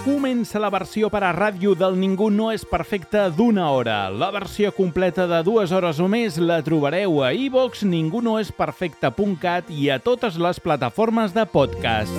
Comença la versió per a ràdio del Ningú no és perfecte d'1 hora. La versió completa de 2 hores o més la trobareu a iVoox, ningunoesperfecte.cat i a totes les plataformes de podcast.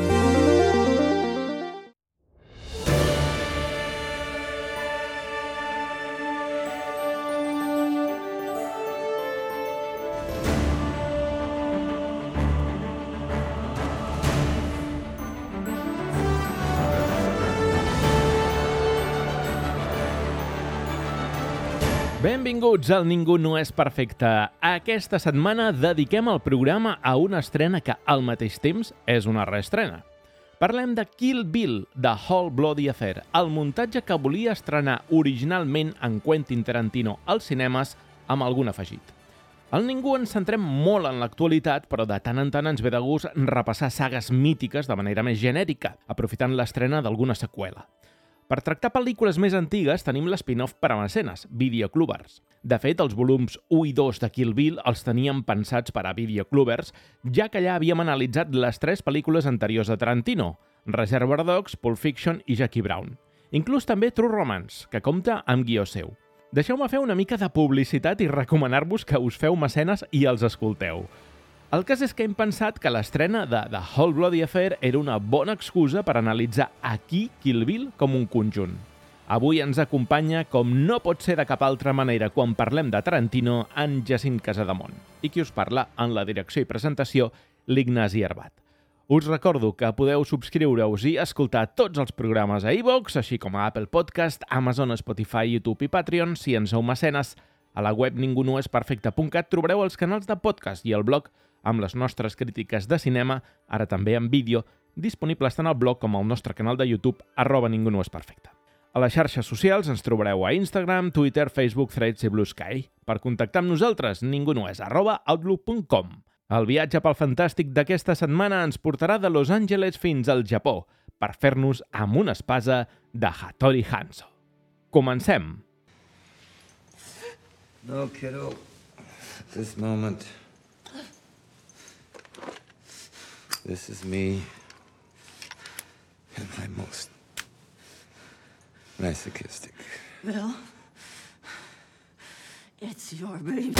Benvinguts al Ningú no és perfecte. Aquesta setmana dediquem el programa a una estrena que al mateix temps és una reestrena. Parlem de Kill Bill, The Whole Bloody Affair, el muntatge que volia estrenar originalment en Quentin Tarantino als cinemes amb algun afegit. Al Ningú ens centrem molt en l'actualitat, però de tant en tant ens ve de gust repassar sagues mítiques de manera més genèrica, aprofitant l'estrena d'alguna seqüela. Per tractar pel·lícules més antigues tenim l'spin-off per a mecenes, Videoclubers. De fet, els volums 1 i 2 de Kill Bill els teníem pensats per a Videoclubers, ja que allà havíem analitzat les 3 pel·lícules anteriors de Tarantino, Reservoir Dogs, Pulp Fiction i Jackie Brown. Inclús també True Romance, que compta amb guió seu. Deixeu-me fer una mica de publicitat i recomanar-vos que us feu mecenes i els escolteu. El cas és que hem pensat que l'estrena de The Whole Bloody Affair era una bona excusa per analitzar aquí Kill Bill com un conjunt. Avui ens acompanya, com no pot ser de cap altra manera quan parlem de Tarantino, en Jacint Casademont. I qui us parla en la direcció i presentació, l'Ignasi Arbat. Us recordo que podeu subscriure-us i escoltar tots els programes a iVoox, així com a Apple Podcast, Amazon, Spotify, YouTube i Patreon, si en sou mecenes. A la web ningunoesperfecte.cat trobareu els canals de podcast i el blog amb les nostres crítiques de cinema, ara també en vídeo, disponibles tant al blog com al nostre canal de YouTube, @ningunoesperfecte. A les xarxes socials ens trobareu a Instagram, Twitter, Facebook, Threads i Blue Sky. Per contactar amb nosaltres, ningunoes@outlook.com. El viatge pel fantàstic d'aquesta setmana ens portarà de Los Angeles fins al Japó per fer-nos amb una espasa de Hattori Hanzo. Comencem! No, kiddo. This moment. This is me at my most masochistic. Bill, it's your baby.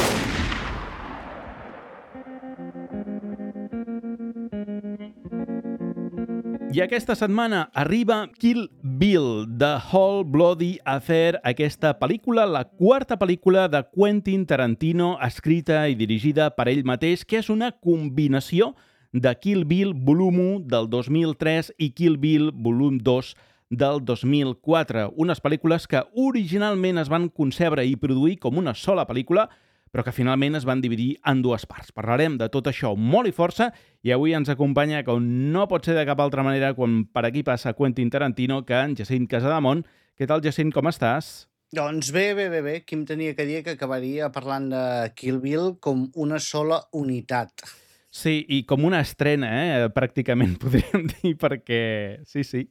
I aquesta setmana arriba Kill Bill, The Whole Bloody Affair, aquesta pel·lícula, la quarta pel·lícula de Quentin Tarantino, escrita i dirigida per ell mateix, que és una combinació de Kill Bill volum 1 del 2003 i Kill Bill volum 2 del 2004. Unes pel·lícules que originalment es van concebre i produir com una sola pel·lícula, però que finalment es van dividir en 2 parts. Parlarem de tot això molt i força i avui ens acompanya, com no pot ser de cap altra manera, quan per aquí passa Quentin Tarantino, que en Jacint Casademont. Què tal, Jacint, com estàs? Doncs bé. Qui em tenia que dir que acabaria parlant de Kill Bill com una sola unitat. Sí, i com una estrena, pràcticament, podríem dir, perquè... Sí.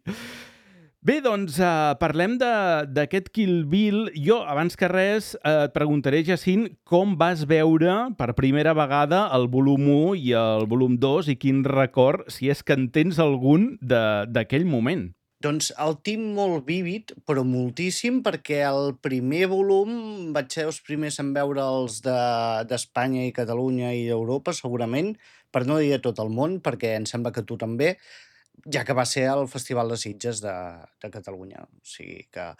Bé, doncs, parlem d'aquest Kill Bill. Jo, abans que res, et preguntaré, Jacint, com vas veure per primera vegada el volum 1 i el volum 2 i quin record, si és que en tens algun, d'aquell moment. Doncs el tinc molt vívid, però moltíssim, perquè el primer volum vaig ser els primers en veure'ls d'Espanya i Catalunya i d'Europa, segurament, per no dir a tot el món, perquè em sembla que tu també, ja que va ser el Festival de Sitges de Catalunya. O sigui que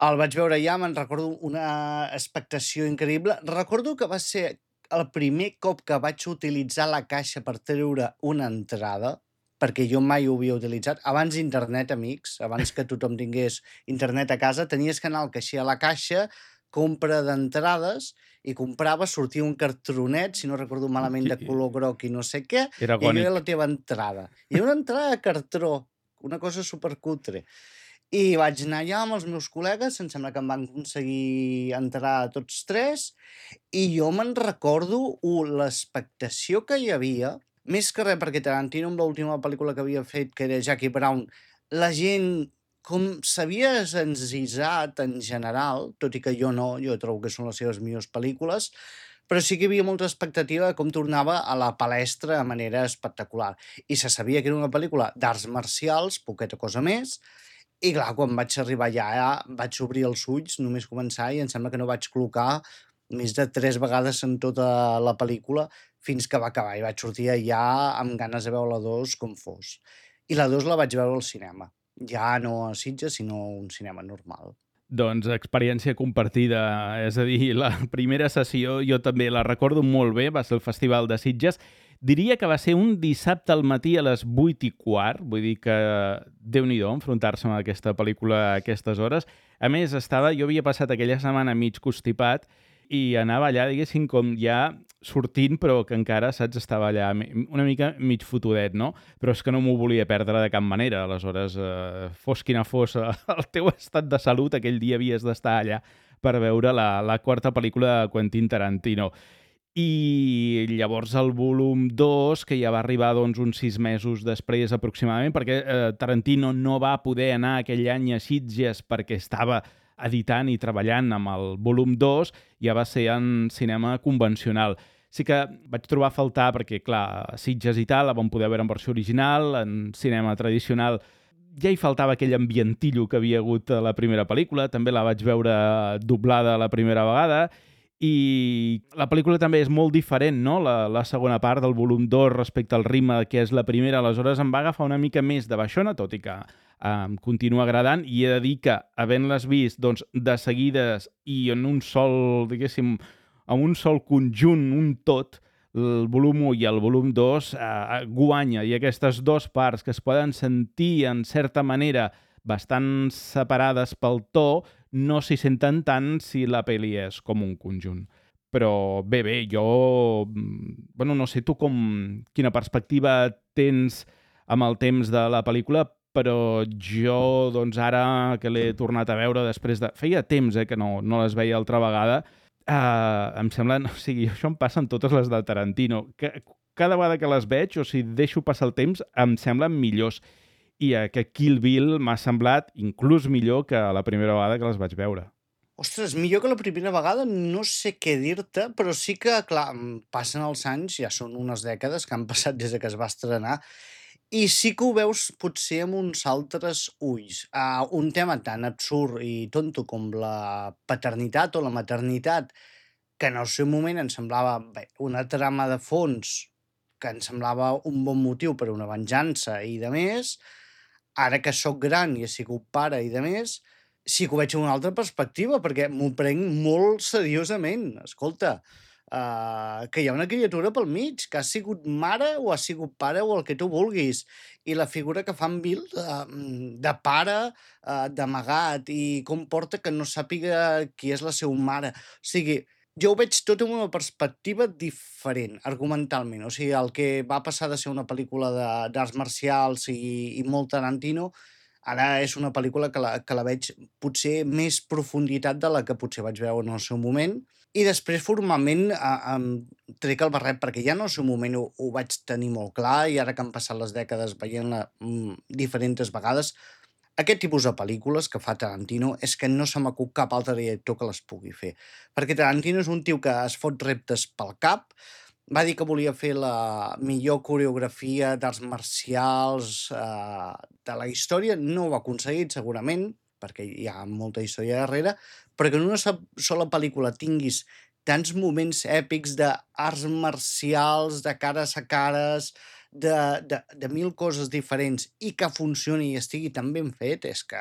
el vaig veure ja, me'n recordo una expectació increïble. Recordo que va ser el primer cop que vaig utilitzar la caixa per treure una entrada, perquè jo mai ho havia utilitzat. Abans d'internet, amics, abans que tothom tingués internet a casa, tenies que anar al caixer a la caixa, compra d'entrades, i comprava, sortia un cartronet, si no recordo malament, de color groc i no sé què, Era i allò agònic. era la teva entrada. I una entrada de cartró, una cosa supercutre. I vaig anar allà amb els meus col·legues, em sembla que em van aconseguir entrar tots 3, i jo me'n recordo l'expectació que hi havia, més que res perquè Tarantino, amb l'última pel·lícula que havia fet, que era Jackie Brown, la gent com s'havia encisat en general, tot i que jo no, jo trobo que són les seves millors pel·lícules, però sí que hi havia molta expectativa de com tornava a la palestra de manera espectacular. I se sabia que era una pel·lícula d'arts marcials, poqueta cosa més, I clar, quan vaig arribar allà, vaig obrir els ulls, només començar, i em sembla que no vaig col·locar més de 3 vegades en tota la pel·lícula fins que va acabar. I vaig sortir allà amb ganes de veure la 2 com fos. I la 2 la vaig veure al cinema. Ja no a Sitges, sinó a un cinema normal. Doncs experiència compartida, és a dir, la primera sessió jo també la recordo molt bé, va ser el Festival de Sitges. Diria que va ser un dissabte al matí a les 8:15, vull dir que Déu-n'hi-do enfrontar-se amb aquesta pel·lícula a aquestes hores. A més, jo havia passat aquella setmana mig constipat i anava allà, diguéssim, com ja sortint, però que encara, saps, estava allà una mica mig fotudet, no? Però és que no m'ho volia perdre de cap manera. Aleshores, fos quina fos el teu estat de salut, aquell dia havies d'estar allà per veure la quarta pel·lícula de Quentin Tarantino. I llavors el volum 2, que ja va arribar doncs, uns 6 mesos després aproximadament, perquè Tarantino no va poder anar aquell any a Sitges perquè estava editant i treballant amb el volum 2, ja va ser en cinema convencional. Sí que vaig trobar a faltar, perquè clar, a Sitges i tal, la vam poder veure en versió original, en cinema tradicional ja hi faltava aquell ambientillo que havia hagut a la primera pel·lícula, també la vaig veure doblada la primera vegada, i la pel·lícula també és molt diferent, no? La segona part del volum 2 respecte al ritme que és la primera, aleshores em va agafar una mica més de baixona, tot i que em continua agradant, i he de dir que, havent-les vist doncs, de seguides i en un sol, diguéssim, en un sol conjunt, un tot, el volum 1 i el volum 2 guanya, i aquestes dues parts que es poden sentir en certa manera bastant separades pel to, no s'hi senten tant si la pel·li és com un conjunt. Però bé, jo... Bueno, no sé tu quina perspectiva tens amb el temps de la pel·lícula, però jo, doncs ara que l'he tornat a veure després de... Feia temps que no les veia altra vegada. Em sembla... O sigui, això em passa en totes les de Tarantino. Cada vegada que les veig, o si deixo passar el temps, em semblen millors. I que Kill Bill m'ha semblat inclús millor que la primera vegada que les vaig veure. Ostres, millor que la primera vegada no sé què dir-te, però sí que, clar, passen els anys, ja són unes dècades que han passat des que es va estrenar, i sí que ho veus potser amb uns altres ulls. Un tema tan absurd i tonto com la paternitat o la maternitat, que en el seu moment em semblava una trama de fons, que em semblava un bon motiu per a una venjança i de més, ara que sóc gran i he sigut pare i de més, sí que ho veig amb una altra perspectiva, perquè m'ho prenc molt seriosament. Escolta, que hi ha una criatura pel mig, que ha sigut mare o ha sigut pare o el que tu vulguis, i la figura que fa en Bill de pare, d'amagat, i com porta que no sàpiga qui és la seva mare. O sigui, jo ho veig tot amb una perspectiva diferent, argumentalment. O sigui, el que va passar de ser una pel·lícula d'arts marcials i molt Tarantino, ara és una pel·lícula que la veig potser més profunditat de la que potser vaig veure en el seu moment. I després, formalment, em trec el barret, perquè ja en el seu moment ho vaig tenir molt clar, i ara que han passat les dècades veient-la diferents vegades, aquest tipus de pel·lícules que fa Tarantino és que no se m'acut cap altre director que les pugui fer. Perquè Tarantino és un tio que es fot reptes pel cap, va dir que volia fer la millor coreografia d'arts marcials de la història, no ho ha aconseguit segurament, perquè hi ha molta història darrere, però que en una sola pel·lícula tinguis tants moments èpics d'arts marcials, de cares a cares, de mil coses diferents, i que funcioni i estigui tan ben fet, és que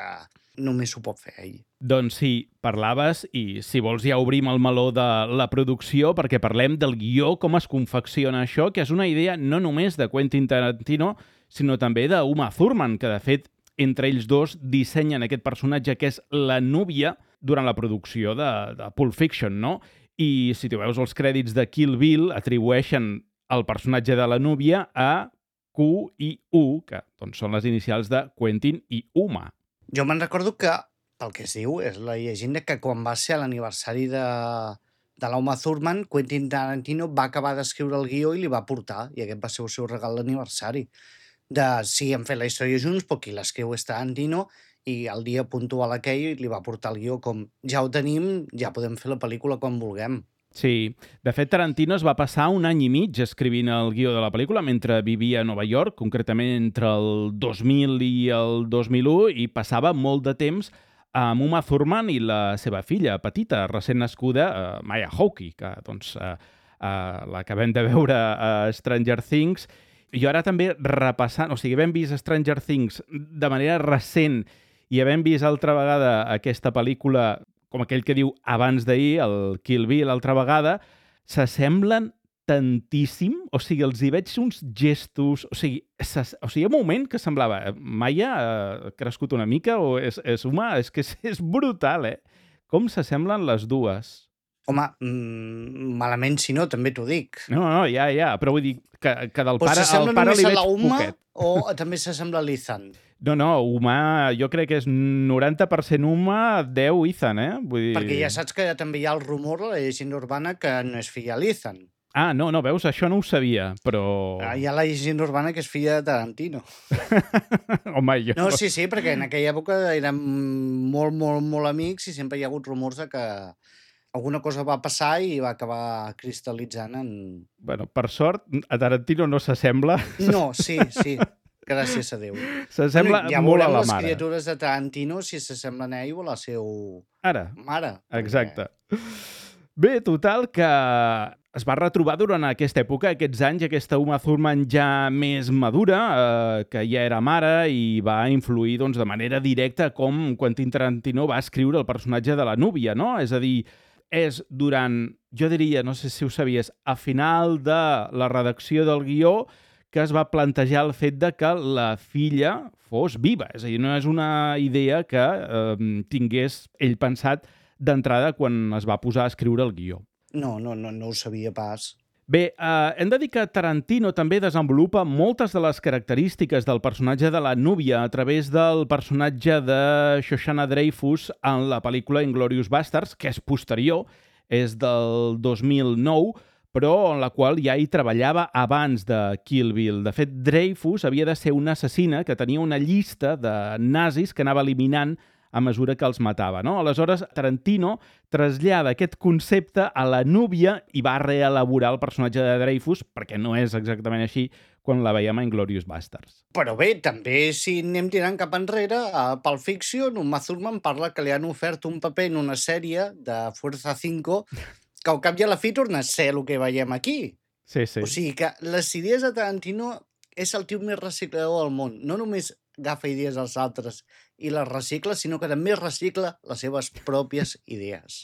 només ho pot fer ell. Doncs sí, parlaves, i si vols ja obrim el meló de la producció, perquè parlem del guió, com es confecciona això, que és una idea no només de Quentin Tarantino, sinó també d'Uma Thurman, que de fet entre ells dos dissenyen aquest personatge que és la núvia durant la producció de Pulp Fiction, no? I si tu veus els crèdits de Kill Bill, atribueixen el personatge de la núvia a Q i U, que doncs, són les inicials de Quentin i Uma. Jo me'n recordo que, pel que es diu, és la llegenda que quan va ser l'aniversari de l'Uma Thurman, Quentin Tarantino va acabar d'escriure el guió i li va portar, i aquest va ser el seu regal d'aniversari. Sí, hem fet la història junts, però qui l'escriu és Tarantino, i el dia puntual aquell li va portar el guió com ja ho tenim, ja podem fer la pel·lícula quan vulguem. Sí, de fet Tarantino es va passar un any i mig escrivint el guió de la pel·lícula mentre vivia a Nova York, concretament entre el 2000 i el 2001, i passava molt de temps amb Uma Thurman i la seva filla petita, recent nascuda, Maya Hawke, que doncs, l'acabem de veure a Stranger Things. I ara també repassant, o sigui, havent vist Stranger Things de manera recent i havent vist altra vegada aquesta pel·lícula, com aquell que diu abans d'ahir, el Kill Bill altra vegada, s'assemblen tantíssim, o sigui, els hi veig uns gestos, o sigui, hi ha un moment que semblava, Maya ha crescut una mica o és humà, és que és brutal, com s'assemblen les dues. Home, malament si no, també t'ho dic. No, ja, però vull dir que del Però pare, s'assembla al pare només li a veig la Uma poquet. o també s'assembla a l'Ethan? No, Uma, jo crec que és 90% Uma, 10 Ethan, Vull dir... Perquè ja saps que també hi ha el rumor, la llegenda urbana, que no és filla l'Ethan. Ah, no, veus, això no ho sabia, però... Hi ha la llegenda urbana que és filla de Tarantino. Home, jo... No, sí, perquè en aquella època érem molt amics i sempre hi ha hagut rumors de que alguna cosa va passar i va acabar cristal·litzant en... Bueno, per sort, a Tarantino no s'assembla. No, sí, gràcies a Déu. S'assembla ja molt a la les mare. criatures de Tarantino si s'assemblen a ell o a la seva mare. Exacte. Bé, total, que es va retrobar durant aquesta època, aquests anys, aquesta Uma Thurman ja més madura, que ja era mare i va influir doncs, de manera directa com Quentin Tarantino va escriure el personatge de la núvia, no? És a dir, és durant, jo diria, no sé si ho sabies, a final de la redacció del guió que es va plantejar el fet de que la filla fos viva. És a dir, no és una idea que tingués ell pensat d'entrada quan es va posar a escriure el guió. No ho sabia pas. Bé, hem de dir que Tarantino també desenvolupa moltes de les característiques del personatge de la núvia a través del personatge de Shoshana Dreyfus en la pel·lícula Inglourious Basterds, que és posterior, és del 2009, però en la qual ja hi treballava abans de Kill Bill. De fet, Dreyfus havia de ser una assassina que tenia una llista de nazis que anava eliminant a mesura que els matava, no? Aleshores, Tarantino trasllada aquest concepte a la núvia i va reelaborar el personatge de Dreyfus, perquè no és exactament així quan la veiem a Inglourious Basterds. Però bé, també si anem tirant cap enrere, a Pulp Fiction, Uma Thurman parla que li han ofert un paper en una sèrie de Fuerza 5 que al cap i a la fi torna a ser el que veiem aquí. Sí. O sigui que les idees de Tarantino és el tio més reciclador del món. No només agafa idees dels altres i les recicla, sinó que també recicla les seves pròpies idees.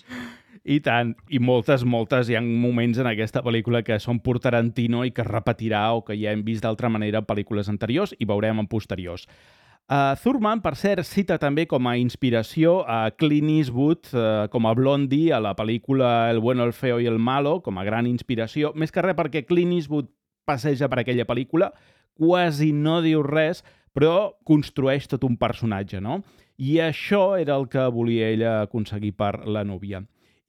I tant, i moltes, hi ha moments en aquesta pel·lícula que són pur Tarantino i que es repetirà o que ja hem vist d'altra manera en pel·lícules anteriors i veurem en posteriors. Thurman, per cert, cita també com a inspiració a Clint Eastwood com a Blondie a la pel·lícula El bueno, el feo i el malo, com a gran inspiració, més que res perquè Clint Eastwood passeja per aquella pel·lícula, quasi no diu res, però construeix tot un personatge, no? I això era el que volia ella aconseguir per la núvia.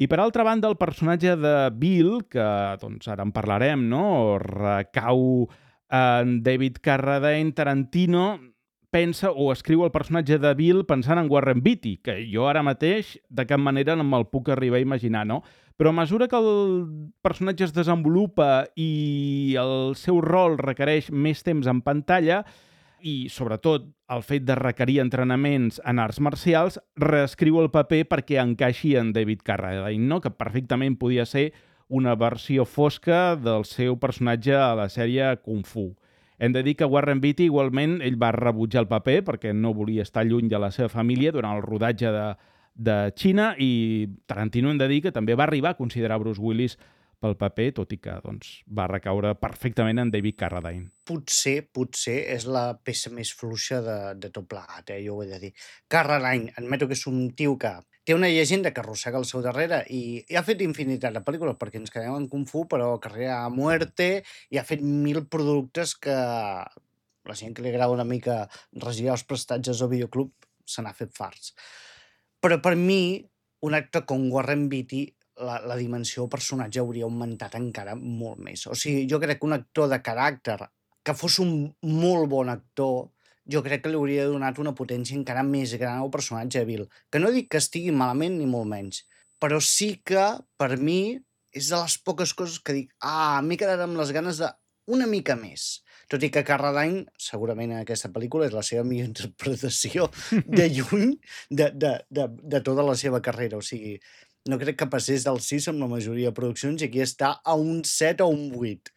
I per altra banda, el personatge de Bill, que doncs, ara en parlarem, no? Recau en David Carradine. Tarantino pensa o escriu el personatge de Bill pensant en Warren Beatty, que jo ara mateix de cap manera no me'l puc arribar a imaginar, no? Però a mesura que el personatge es desenvolupa i el seu rol requereix més temps en pantalla, i, sobretot, el fet de requerir entrenaments en arts marcials, reescriu el paper perquè encaixi en David Carradine, no? Que perfectament podia ser una versió fosca del seu personatge a la sèrie Kung Fu. Hem de dir que Warren Beatty, igualment, ell va rebutjar el paper perquè no volia estar lluny de la seva família durant el rodatge de Xina, i Tarantino, hem de dir que també va arribar a considerar Bruce Willis pel paper, tot i que doncs, va recaure perfectament en David Carradine. Potser és la peça més fluixa de tot plegat, jo ho he de dir. Carradine, admeto que és un tio que té una llegenda que arrossega al seu darrere i ha fet infinitat de pel·lícules perquè ens quedem en Kung Fu, però carrera a muerte, i ha fet 1000 productes que la gent que li agrada una mica regirar els prestatges al videoclub se n'ha fet farts. Però per mi, un actor com Warren Beatty, la dimensió del personatge hauria augmentat encara molt més. O sigui, jo crec que un actor de caràcter que fos un molt bon actor, jo crec que li hauria donat una potència encara més gran al personatge de Bill. Que no dic que estigui malament ni molt menys, però sí que, per mi, és de les poques coses que dic, m'he quedat amb les ganes d'una mica més. Tot i que Carradine, segurament en aquesta pel·lícula, és la seva millor interpretació de lluny de tota la seva carrera. O sigui, no crec que passés del 6 amb la majoria de produccions i aquí està a un 7 o un 8.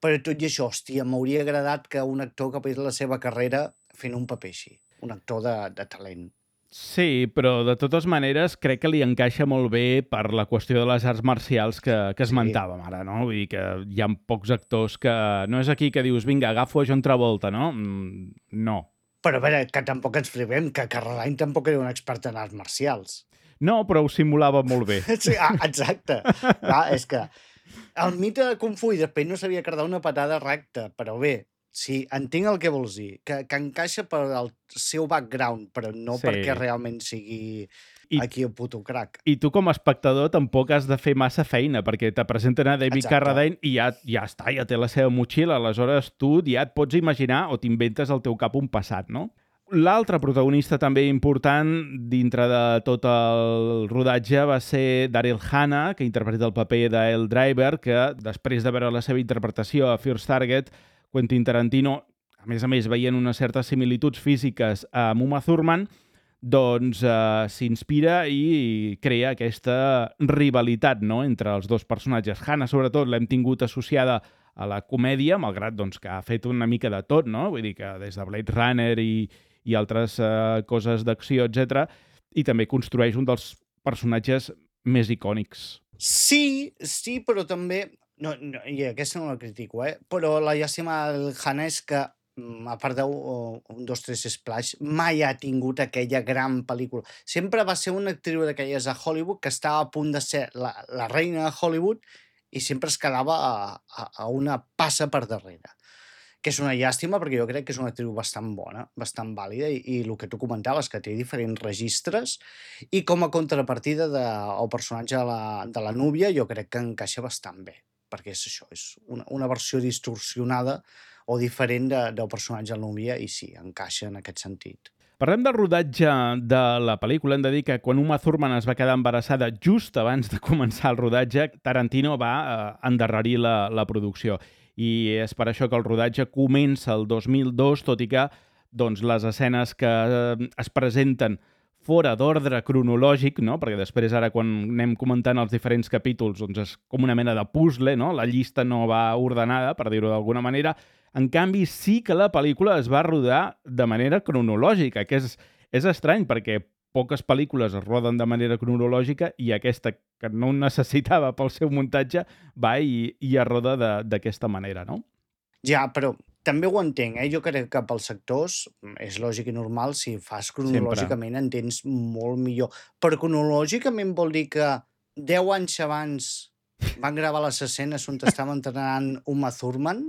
Però tot i això, hòstia, m'hauria agradat que un actor acabés la seva carrera fent un paper així. Un actor de talent. Sí, però de totes maneres crec que li encaixa molt bé per la qüestió de les arts marcials que esmentàvem ara, no? Vull dir que hi ha pocs actors que... No és aquí que dius, vinga, agafo a John Travolta, no? No. Però a veure, que tampoc ens flipem, que Carradine tampoc era un expert en arts marcials. No, però ho simulava molt bé. Sí, exacte. És que el mite de Kung Fu i després no sabia cardar una patada recta, però bé, sí, entenc el que vols dir, que encaixa per el seu background, però no perquè realment sigui aquí el puto crac. I tu com a espectador tampoc has de fer massa feina, perquè te presenten a David Carradine i ja està, ja té la seva motxilla, aleshores tu ja et pots imaginar o t'inventes al teu cap un passat, no? L'altre protagonista també important dintre de tot el rodatge va ser Daryl Hannah, que interpreta el paper d'El Driver, que després de veure la seva interpretació a First Target, Quentin Tarantino, a més, veient unes certes similituds físiques amb Uma Thurman, doncs s'inspira i crea aquesta rivalitat, no?, entre els dos personatges. Hannah, sobretot, l'hem tingut associada a la comèdia, malgrat doncs, que ha fet una mica de tot, no? Vull dir que des de Blade Runner i altres coses d'acció, etc. I també construeix un dels personatges més icònics. Sí, però també... No, i aquesta no la critico, però la llàstima del Hannah és que, a part d'un, dos, tres Splash, mai ha tingut aquella gran pel·lícula. Sempre va ser una actriu d'aquelles a Hollywood que estava a punt de ser la reina de Hollywood i sempre es quedava a una passa per darrere. Que és una llàstima perquè jo crec que és una actriu bastant bona, bastant vàlida i el que tu comentaves, que té diferents registres i com a contrapartida del personatge de la núvia jo crec que encaixa bastant bé, perquè és això, és una versió distorsionada o diferent del personatge de la núvia i sí, encaixa en aquest sentit. Parlem del rodatge de la pel·lícula. Hem de dir que quan Uma Thurman es va quedar embarassada just abans de començar el rodatge, Tarantino va endarrerir la producció. I és per això que el rodatge comença el 2002, tot i que doncs, les escenes que es presenten fora d'ordre cronològic, no? Perquè després, ara, quan anem comentant els diferents capítols, doncs és com una mena de puzzle, no? La llista no va ordenada, per dir-ho d'alguna manera. En canvi, sí que la pel·lícula es va rodar de manera cronològica, que és estrany, perquè poques pel·lícules es roden de manera cronològica i aquesta, que no ho necessitava pel seu muntatge, va i es roda d'aquesta manera, no? Ja, però també ho entenc, Jo crec que pels sectors és lògic i normal, si fas cronològicament entens molt millor. Però cronològicament vol dir que 10 anys abans van gravar les escenes on estaven entrenant Uma Thurman?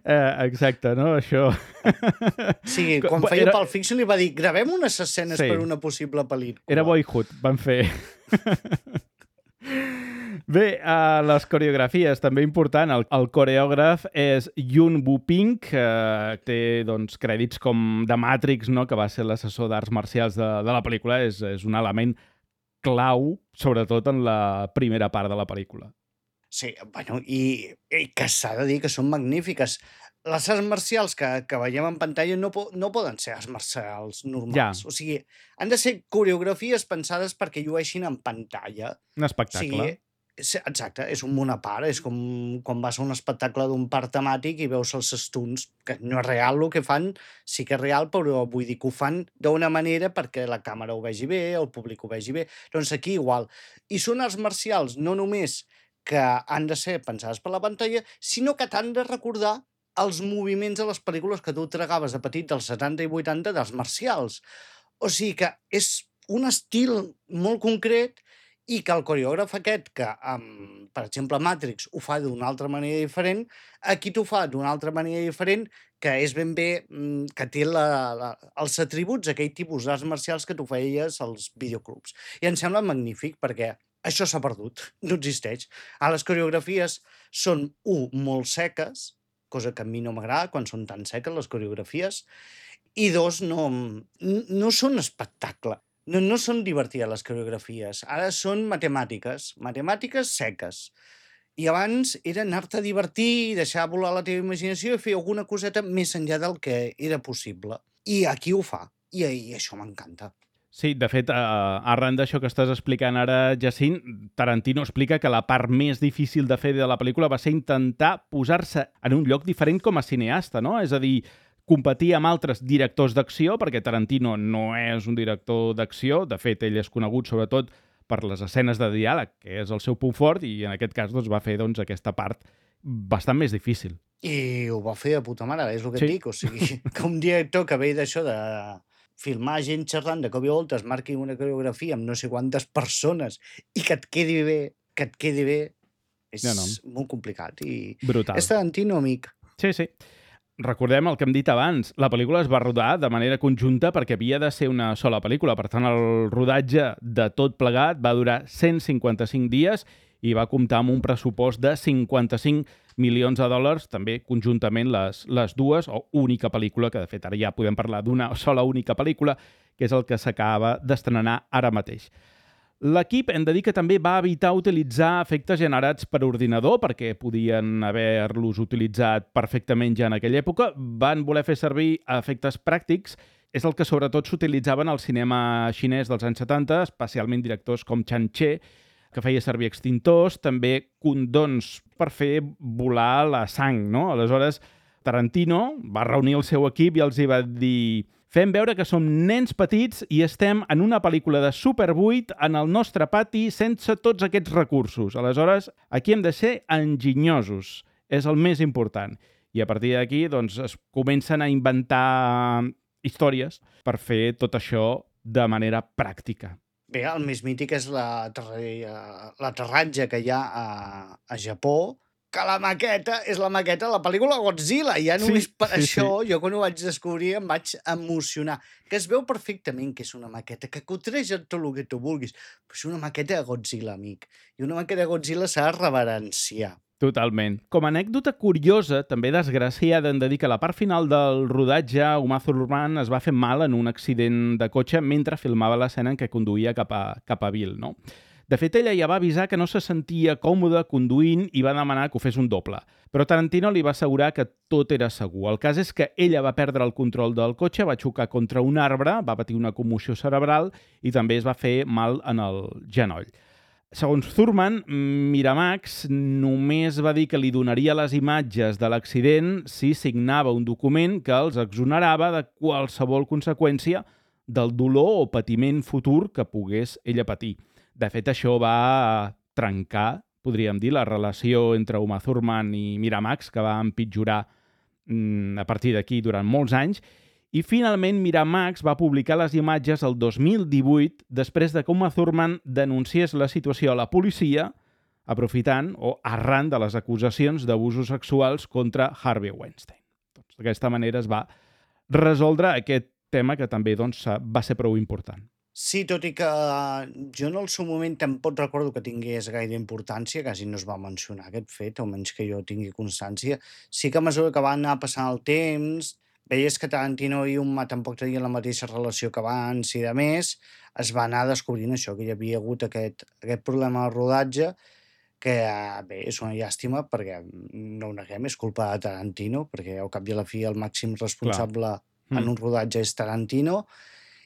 Exacte, no? Això... Sí, quan feia Pulp Fiction li va dir gravem unes escenes per una possible pel·lícula. Era Boyhood, van fer... Bé, les coreografies, també important. El coreògraf és Yoon Woo-ping, que té doncs, crèdits com de Matrix, no? Que va ser l'assessor d'arts marcials de la pel·lícula. És un element clau, sobretot en la primera part de la pel·lícula. Sí, bueno, i que s'ha de dir que són magnífiques. Les arts marcials que veiem en pantalla no poden ser arts marcials normals. Ja. O sigui, han de ser coreografies pensades perquè llueixin en pantalla. Un espectacle. O sigui, exacte, és un món a part. És com quan vas a un espectacle d'un parc temàtic i veus els stunts, que no és real el que fan, sí que és real, però vull dir que ho fan d'una manera perquè la càmera ho vegi bé, el públic ho vegi bé. Doncs aquí igual. I són arts marcials no només que han de ser pensades per la pantalla, sinó que t'han de recordar els moviments de les pel·lícules que tu tragaves de petit dels 70 i 80 d'arts marcials. O sigui que és un estil molt concret i que el coreògraf aquest, que per exemple Matrix ho fa d'una altra manera diferent, aquí t'ho fa d'una altra manera diferent, que és ben bé que té els atributs d'aquell tipus d'arts marcials que tu feies als videoclubs. I em sembla magnífic perquè això s'ha perdut, no existeix. Les coreografies són, molt seques, cosa que a mi no m'agrada quan són tan seques les coreografies, i dos, no són espectacle. No són divertides les coreografies, ara són matemàtiques seques. I abans era anar-te a divertir, deixar volar la teva imaginació i fer alguna coseta més enllà del que era possible. I aquí ho fa, i això m'encanta. Sí, de fet, arran d'això que estàs explicant ara, Jacint, Tarantino explica que la part més difícil de fer de la pel·lícula va ser intentar posar-se en un lloc diferent com a cineasta, no? És a dir, competir amb altres directors d'acció, perquè Tarantino no és un director d'acció, de fet, ell és conegut sobretot per les escenes de diàleg, que és el seu punt fort, i en aquest cas doncs, va fer aquesta part bastant més difícil. I ho va fer de puta mare, és el que Sí. et dic. O sigui, que un director que ve d'això de filmar gent xerrant de cop i volta es marqui una coreografia amb no sé quantes persones i que et quedi bé, és molt complicat. I Brutal. és Tarantino, amic. Sí, sí. Recordem el que hem dit abans, la pel·lícula es va rodar de manera conjunta perquè havia de ser una sola pel·lícula, per tant el rodatge de tot plegat va durar 155 dies i va comptar amb un pressupost de 55 milions de dòlars, també conjuntament les dues, o única pel·lícula, que de fet ara ja podem parlar d'una sola única pel·lícula, que és el que s'acaba d'estrenar ara mateix. L'equip, hem de dir que també va evitar utilitzar efectes generats per ordinador perquè podien haver-los utilitzat perfectament ja en aquella època. Van voler fer servir efectes pràctics. És el que sobretot s'utilitzaven al cinema xinès dels anys 70, especialment directors com Chan Che, que feia servir extintors, també condons per fer volar la sang, no? Aleshores, Tarantino va reunir el seu equip i els hi va dir: fem veure que som nens petits i estem en una pel·lícula de Super 8 en el nostre pati sense tots aquests recursos. Aleshores, aquí hem de ser enginyosos. És el més important. I a partir d'aquí doncs, es comencen a inventar històries per fer tot això de manera pràctica. Bé, el més mític és l'aterratge que hi ha a Japó, que la maqueta és la maqueta de la pel·lícula Godzilla. Ja només per això, jo quan ho vaig descobrir em vaig emocionar. Que es veu perfectament que és una maqueta, que cotreja tot el que tu vulguis, però és una maqueta de Godzilla, amic. I una maqueta de Godzilla s'ha de reverenciar. Totalment. Com a anècdota curiosa, també desgraciada, hem de dir que a la part final del rodatge, Uma Thurman es va fer mal en un accident de cotxe mentre filmava l'escena en què conduïa cap a Bill, no? De fet, ella ja va avisar que no se sentia còmode conduint i va demanar que ho fes un doble. Però Tarantino li va assegurar que tot era segur. El cas és que ella va perdre el control del cotxe, va xocar contra un arbre, va patir una commoció cerebral i també es va fer mal en el genoll. Segons Thurman, Miramax només va dir que li donaria les imatges de l'accident si signava un document que els exonerava de qualsevol conseqüència del dolor o patiment futur que pogués ella patir. De fet, això va trencar, podríem dir, la relació entre Uma Thurman i Miramax, que va empitjorar a partir d'aquí durant molts anys, i finalment Miramax va publicar les imatges el 2018 després de que Uma Thurman denunciés la situació a la policia aprofitant o arran de les acusacions d'abusos sexuals contra Harvey Weinstein. Doncs, d'aquesta manera es va resoldre aquest tema que també va ser prou important. Sí, tot i que jo en el seu moment tampoc recordo que tingués gaire importància, quasi no es va mencionar aquest fet, almenys que jo tingui constància. Sí que a mesura que va anar passant el temps, veies que Tarantino i Uma tampoc tenien la mateixa relació que abans i de més, es va anar descobrint això, que hi havia hagut aquest problema de rodatge, que bé, és una llàstima perquè no ho neguem, és culpa de Tarantino, perquè al cap i a la fi el màxim responsable en un rodatge és Tarantino,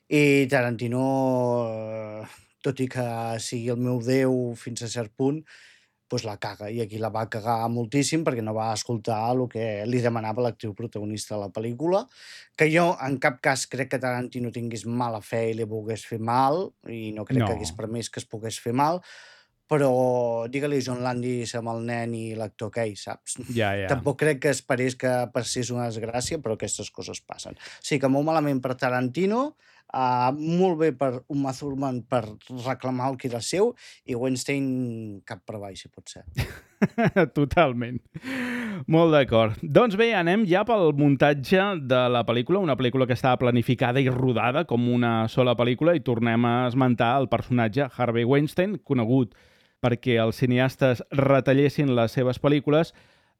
i Tarantino, tot i que sigui el meu déu fins a cert punt, doncs la caga, i aquí la va cagar moltíssim perquè no va escoltar el que li demanava l'actriu protagonista de la pel·lícula, que jo en cap cas crec que Tarantino tingués mala fe i li volgués fer mal, i no crec que hagués permès que es pogués fer mal, però digue-li John Landis amb el nen i l'actor aquell, saps? Ja. Tampoc crec que esperés que passés una desgràcia, però aquestes coses passen. Sí que molt malament per Tarantino, molt bé per Uma Thurman per reclamar el que era seu, i Weinstein cap per avall, si pot ser. Totalment. Molt d'acord. Doncs bé, anem ja pel muntatge de la pel·lícula, una pel·lícula que estava planificada i rodada com una sola pel·lícula, i tornem a esmentar el personatge Harvey Weinstein, conegut perquè els cineastes retallessin les seves pel·lícules.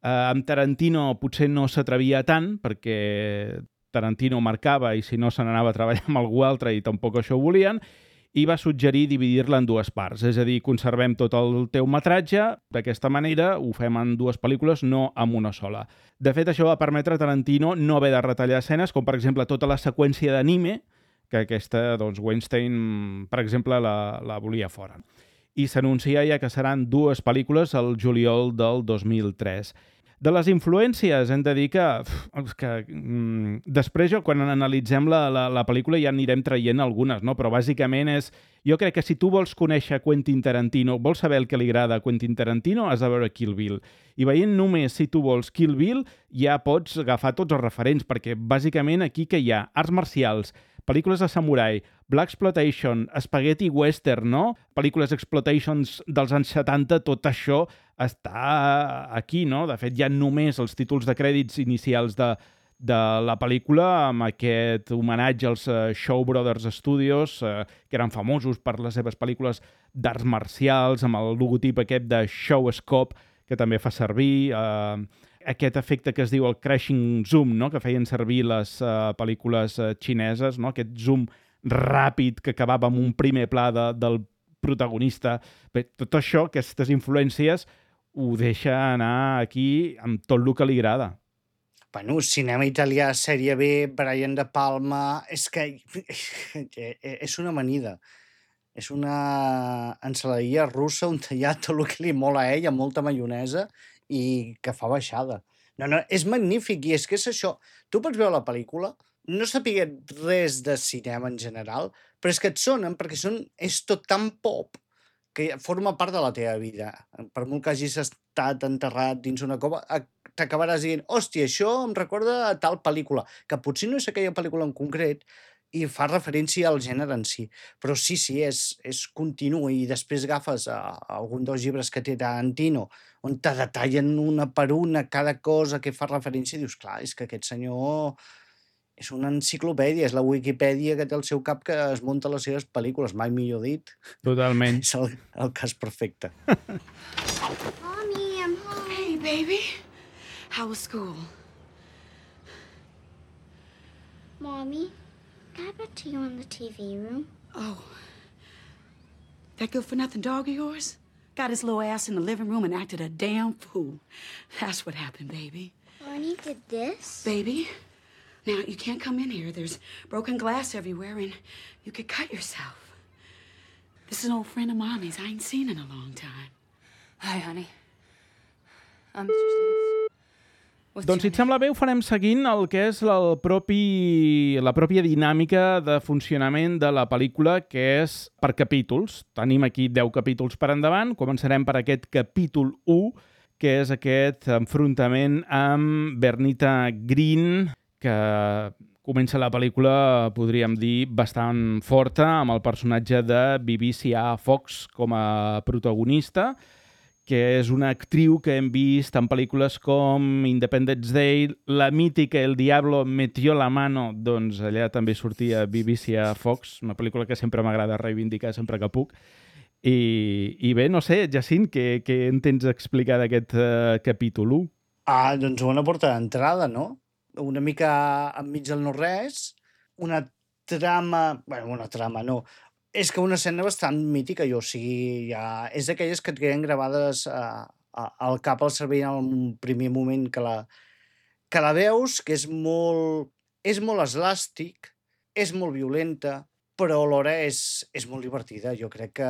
Amb Tarantino potser no s'atrevia tant, perquè Tarantino marcava i si no se n'anava a treballar amb algú altre i tampoc això ho volien, i va suggerir dividir-la en dues parts, és a dir, conservem tot el teu metratge, d'aquesta manera ho fem en dues pel·lícules, no en una sola. De fet, això va permetre a Tarantino no haver de retallar escenes, com per exemple tota la seqüència d'anime, que aquesta, doncs, Weinstein, per exemple, la volia fora. I s'anuncia ja que seran dues pel·lícules al juliol del 2003. De les influències hem de dir que després, quan analitzem la pel·lícula, ja anirem traient algunes, no? Però bàsicament és... Jo crec que si tu vols conèixer Quentin Tarantino, vols saber el que li agrada a Quentin Tarantino, has de veure Kill Bill. I veient només, si tu vols, Kill Bill, ja pots agafar tots els referents, perquè bàsicament aquí que hi ha arts marcials, pel·lícules de samurai, blaxploitation, spaghetti western, no? Pel·lícules exploitations dels anys 70, tot això està aquí, no? De fet, hi ha només els títols de crèdits inicials de la pel·lícula amb aquest homenatge als Shaw Brothers Studios, que eren famosos per les seves pel·lícules d'arts marcials, amb el logotip aquest de Showscope, que també fa servir... aquest efecte que es diu el crashing zoom, no? Que feien servir les pel·lícules xineses, no? Aquest zoom ràpid que acabava amb un primer pla del protagonista. Bé, tot això, aquestes influències, ho deixa anar aquí amb tot el que li agrada. Bueno, cinema italià, sèrie B, Brian De Palma... És que és una amanida. És una ensaladilla russa on hi ha tot el que li mola a ell, amb molta maionesa, i que fa baixada. No, és magnífic, i és que és això. Tu pots veure la pel·lícula, no sapiguent res de cinema en general, però és que et sonen, perquè és tot tan pop que forma part de la teva vida. Per molt que hagis estat enterrat dins una cova, t'acabaràs dient, hòstia, això em recorda a tal pel·lícula, que potser no és aquella pel·lícula en concret, i fa referència al gènere en si. Però sí, és continu, i després agafes algun dels llibres que té Tarantino, on te detallen una per una cada cosa que fa referència, i dius, clar, és que aquest senyor és una enciclopèdia, és la Wikipedia que té al seu cap que es munta les seves pel·lícules, mai millor dit. Totalment. És el cas perfecte. Mommy, I'm home. Hey, baby. How was school? Mommy, can I bet to you in the TV room? Oh. That good-for-nothing dog of yours? Got his little ass in the living room and acted a damn fool. That's what happened, baby. Barney did this? Baby, now you can't come in here. There's broken glass everywhere and you could cut yourself. This is an old friend of Mommy's I ain't seen in a long time. Hi, honey. I'm Mr. Steve. Doncs, si et sembla bé, ho farem seguint el que és la pròpia dinàmica de funcionament de la pel·lícula, que és per capítols. Tenim aquí 10 capítols per endavant. Començarem per aquest capítol 1, que és aquest enfrontament amb Bernita Green, que comença la pel·lícula, podríem dir, bastant forta, amb el personatge de BBC Fox com a protagonista, que és una actriu que hem vist en pel·lícules com Independence Day, la mítica El Diablo metió la mano, doncs allà també sortia BBC Fox, una pel·lícula que sempre m'agrada reivindicar sempre que puc. I bé, no sé, Jacint, què en tens a explicar d'aquest capítol 1? Doncs una porta d'entrada, no? Una mica enmig del no-res, una trama... Bueno, una trama, no. És que una escena bastant mítica, o sigui, ja és d'aquelles que et queden gravades al cap, al cervell, en un primer moment que la veus, que és molt eslàstic, és molt violenta, però alhora és molt divertida. Jo crec que...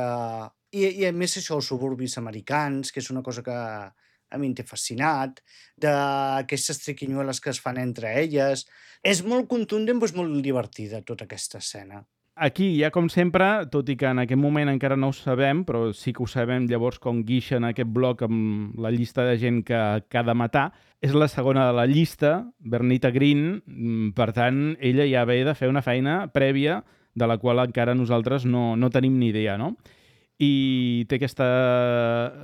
I a més això, els suburbis americans, que és una cosa que a mi em té fascinat, d'aquestes triquinyueles que es fan entre elles. És molt contundent, però és molt divertida tota aquesta escena. Aquí ja, com sempre, tot i que en aquest moment encara no ho sabem, però sí que ho sabem llavors com guixen aquest bloc amb la llista de gent que ha de matar, és la segona de la llista, Bernita Green, per tant, ella ja ve de fer una feina prèvia de la qual encara nosaltres no tenim ni idea, no? I té aquesta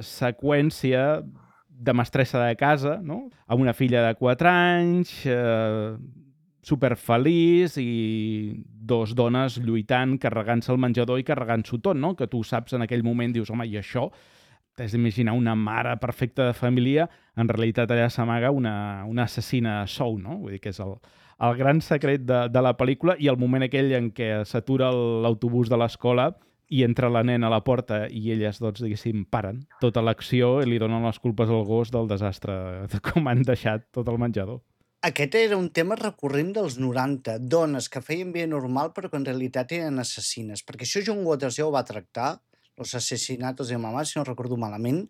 seqüència de mestressa de casa, no? Amb una filla de 4 anys, superfeliç, i 2 dones lluitant, carregant-se el menjador i carregant-s'ho tot, no? Que tu saps en aquell moment, dius, home, i això? T'has d'imaginar una mare perfecta de família, en realitat allà s'amaga una assassina a sou, no? Vull dir que és el gran secret de la pel·lícula i el moment aquell en què s'atura l'autobús de l'escola i entra la nena a la porta i elles, doncs, diguéssim, paren tota l'acció i li donen les culpes al gos del desastre de com han deixat tot el menjador. Aquest era un tema recurrent dels 90, dones que feien vida normal però que en realitat eren assassines, perquè això John Waters ja ho va tractar, los asesinatos de mamá, si no recordo malament,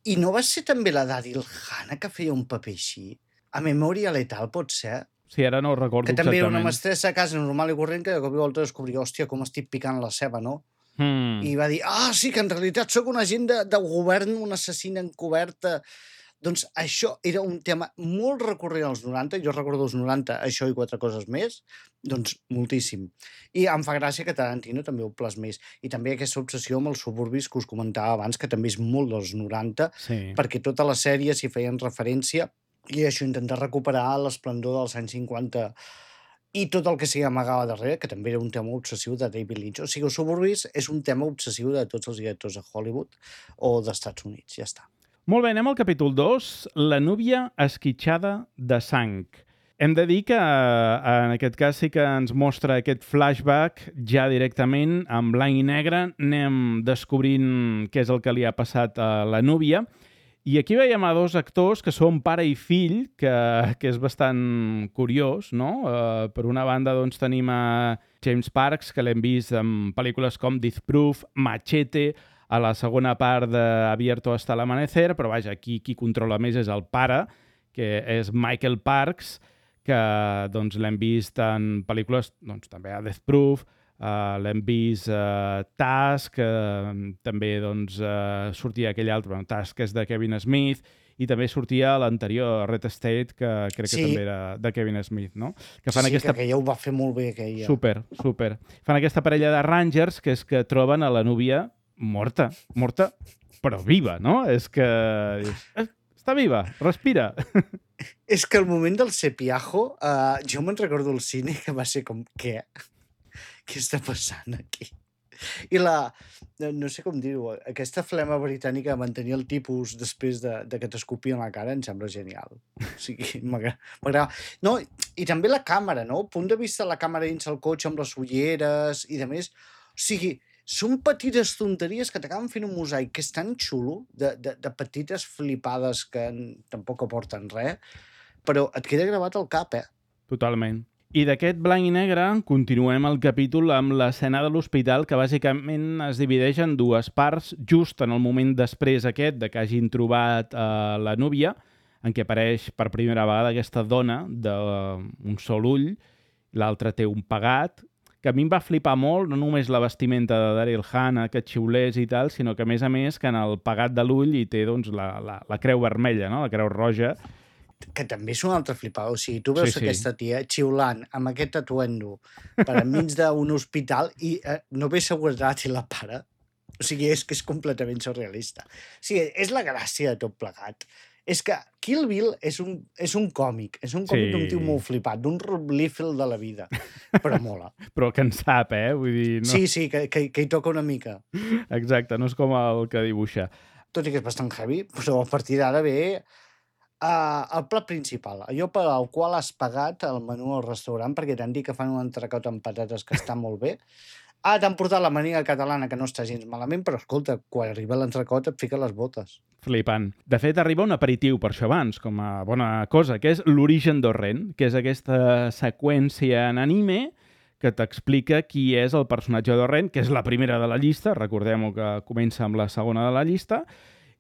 i no va ser també la Daryl Hannah que feia un paper així? A Memòria Letal, pot ser? Sí, ara no ho recordo Que també era una exactament. mestressa a casa normal i corrent que de cop i volta descobria, hòstia, com estic picant la ceba, no? I va dir, sí, que en realitat sóc un agent de govern, un assassina encoberta. Doncs això era un tema molt recurrent als 90, jo recordo els 90, això i 4 coses més, doncs moltíssim. I em fa gràcia que Tarantino també ho plasmés. I també aquesta obsessió amb els suburbis que us comentava abans, que també és molt dels 90, Sí. perquè totes les sèries hi feien referència i això, intentar recuperar l'esplendor dels anys 50 i tot el que s'hi amagava darrere, que també era un tema obsessiu de David Lynch. O sigui, els suburbis és un tema obsessiu de tots els directors de Hollywood o d'Estats Units, ja està. Molt bé, anem al capítol 2, la núvia esquitxada de sang. Hem de dir que en aquest cas sí que ens mostra aquest flashback ja directament, en blanc i negre, anem descobrint què és el que li ha passat a la núvia. I aquí veiem a dos actors que són pare i fill, que és bastant curiós, no? Per una banda, doncs, tenim a James Parks, que l'hem vist en pel·lícules com Death Proof, Machete, a la segona part d'Abierto hasta el amanecer, però vaja, aquí qui controla més és el pare, que és Michael Parks, que doncs, l'hem vist en pel·lícules, doncs, també a Death Proof, l'hem vist Task, també doncs, sortia aquell altre, bueno, Task és de Kevin Smith, i també sortia l'anterior Red State, que crec que també era de Kevin Smith, no? Que fan que aquella ho va fer molt bé, aquella. Super. Fan aquesta parella de Rangers, que és que troben a la núvia morta, però viva, no? És que... Està viva, respira. És que el moment del cepiajo, jo me'n recordo al cine que va ser com, què? Què està passant aquí? I no sé com dir-ho, aquesta flema britànica de mantenir el tipus després de que t'escopien la cara em sembla genial. O sigui, m'agrada. No, i també la càmera, no? El punt de vista de la càmera dins el cotxe amb les ulleres i de més. O sigui, són petites tonteries que t'acaben fent un mosaic que és tan xulo, de petites flipades que tampoc aporten res, però et queda gravat al cap, Totalment. I d'aquest blanc i negre continuem el capítol amb l'escena de l'hospital, que bàsicament es divideix en dues parts, just en el moment després aquest de que hagin trobat la núvia, en què apareix per primera vegada aquesta dona d'un sol ull, l'altre té un pegat, que a mi em va flipar molt, no només la vestimenta de Daryl Hannah, que xiulés i tal, sinó que, a més, que en el pegat de l'ull hi té doncs, la creu vermella, no? La creu roja. Que també és una altra flipada. O sigui, tu veus aquesta tia xiulant amb aquest atuendo per enmig d'un hospital i no ve seguretat i la para. O sigui, és que és completament surrealista. O sigui, és la gràcia de tot plegat. És que Kill Bill és un còmic. És un còmic d'un tio molt flipat, d'un Rob Liefeld de la vida. Però mola. Però que en sap, Vull dir, no... Sí, que hi toca una mica. Exacte, no és com el que dibuixa. Tot i que és bastant heavy, però a partir d'ara ve el plat principal, allò per al qual has pagat el menú al restaurant, perquè t'han dit que fan un entrecot amb patates que està molt bé. T'han portat la mania catalana, que no està gens malament, però escolta, quan arriba l'entrecot et fica les botes. Flipant. De fet, arriba un aperitiu per això abans, com a bona cosa, que és l'origen d'Orren, que és aquesta seqüència en anime que t'explica qui és el personatge d'Orren, que és la primera de la llista, recordem-ho que comença amb la segona de la llista,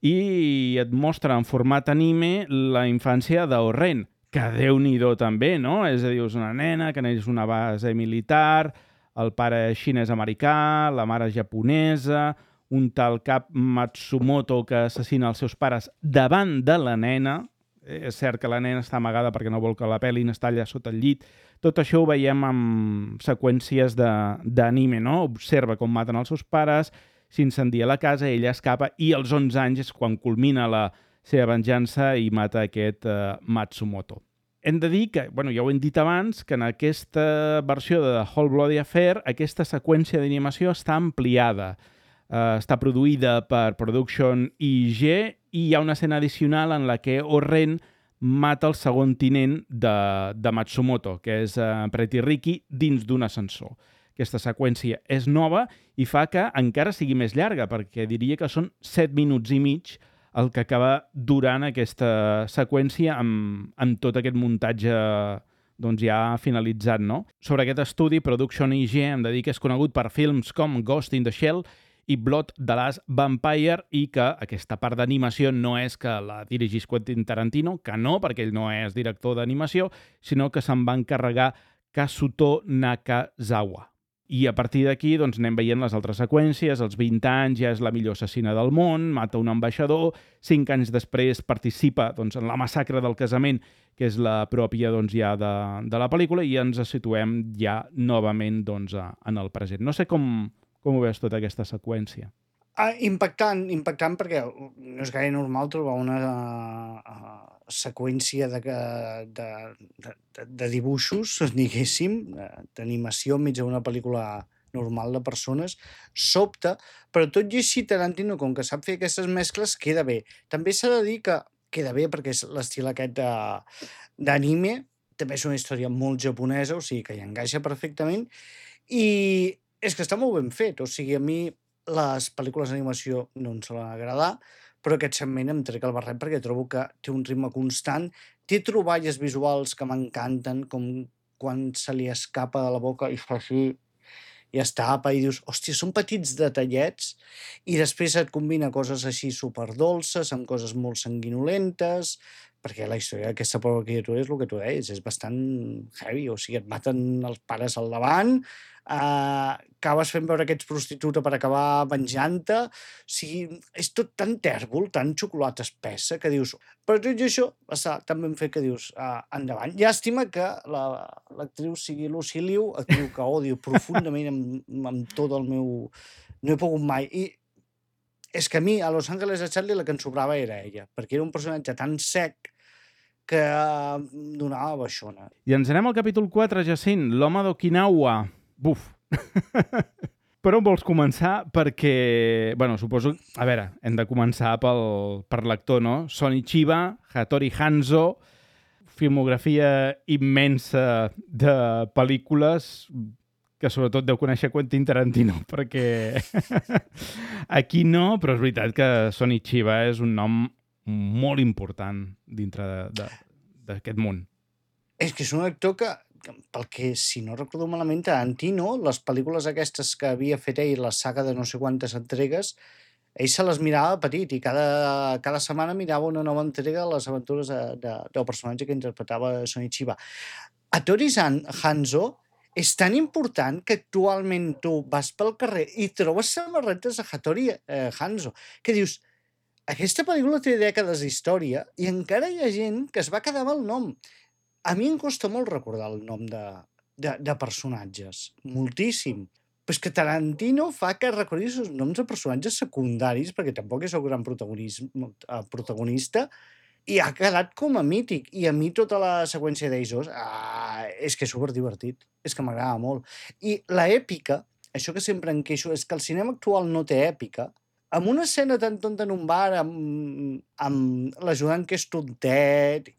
i et mostra en format anime la infància d'Orren, que Déu-n'hi-do també, no? És a dir, és una nena que neix una base militar, el pare xinès-americà, la mare japonesa, un tal cap Matsumoto que assassina els seus pares davant de la nena. És cert que la nena està amagada perquè no vol que la pelin, està allà sota el llit. Tot això ho veiem amb seqüències d'anime, no? Observa com maten els seus pares, s'incendia la casa, ella escapa i als 11 anys és quan culmina la seva venjança i mata aquest Matsumoto. Hem de dir que, ja ho hem dit abans, que en aquesta versió de The Whole Bloody Affair aquesta seqüència d'animació està ampliada. Està produïda per Production IG i hi ha una escena addicional en la que Orren mata el segon tinent de Matsumoto, que és Pretty Ricky, dins d'un ascensor. Aquesta seqüència és nova i fa que encara sigui més llarga, perquè diria que són 7 minuts i mig el que acaba durant aquesta seqüència amb tot aquest muntatge doncs ja finalitzat, no? Sobre aquest estudi, Production IG hem de dir que és conegut per films com Ghost in the Shell i Blood the Last Vampire, i que aquesta part d'animació no és que la dirigís Quentin Tarantino, que no, perquè ell no és director d'animació, sinó que se'n va encarregar Kazuto Nakazawa. I a partir d'aquí doncs, anem veient les altres seqüències. Als 20 anys ja és la millor assassina del món, mata un ambaixador, 5 anys després participa doncs, en la massacre del casament, que és la pròpia doncs, ja de la pel·lícula, i ens situem ja novament doncs, en el present. No sé com ho veus tota aquesta seqüència. Impactant perquè no és gaire normal trobar una seqüència de dibuixos, diguéssim, d'animació enmig d'una pel·lícula normal de persones. Sobta, però tot i així Tarantino, com que sap fer aquestes mescles, queda bé. També s'ha de dir que queda bé perquè és l'estil aquest d'anime, també és una història molt japonesa, o sigui que hi encaixa perfectament, i és que està molt ben fet. O sigui, a mi les pel·lícules d'animació no em solen agradar, però aquest segment em trec el barret perquè trobo que té un ritme constant, té troballes visuals que m'encanten, com quan se li escapa de la boca i fa així i es tapa i dius, hòstia, són petits detallets, i després et combina coses així superdolces amb coses molt sanguinolentes, perquè la història d'aquesta pobra criatura és el que tu deies, és bastant heavy, o sigui, et maten els pares al davant, acabes fent veure que ets prostituta per acabar venjant-te, o sigui, és tot tan tèrbol, tan xocolata espessa, que dius, però tot i això està tan ben fet que dius, endavant. Llàstima que l'actriu sigui Lucy Liu, actriu que odio profundament amb tot el meu... No he pogut mai. I és que a mi, a Los Angeles de Charlie, la que em sobrava era ella, perquè era un personatge tan sec que donava baixona. I ens anem al capítol 4, Jacint, l'home d'Okinawa. Buf! Per on vols començar? Perquè, bueno, suposo... A veure, hem de començar per l'actor, no? Sonny Chiba, Hattori Hanzo, filmografia immensa de pel·lícules que sobretot deu conèixer Quentin Tarantino, perquè aquí no, però és veritat que Sonny Chiba és un nom molt important dintre d'aquest món. És que és un actor que, pel que, si no recordo malament, Tarantino, les pel·lícules aquestes que havia fet ell, la saga de no sé quantes entregues, ell se les mirava petit i cada setmana mirava una nova entrega de les aventures del personatge que interpretava Sonny Chiba. Hattori Hanzo és tan important que actualment tu vas pel carrer i trobes samarretes de Hattori Hanzo, que dius, aquesta pel·lícula té dècades d'història i encara hi ha gent que es va quedar amb el nom. A mi em costa molt recordar el nom de personatges, moltíssim. Però és que Tarantino fa que recordis els noms de personatges secundaris, perquè tampoc és el gran protagonista, i ha quedat com a mític. I a mi tota la seqüència d'Eisos és que és superdivertit, és que m'agrada molt. I l'èpica, això que sempre em queixo, és que el cinema actual no té èpica. Amb una escena tan tonta en un bar, amb l'ajudant que és tontet...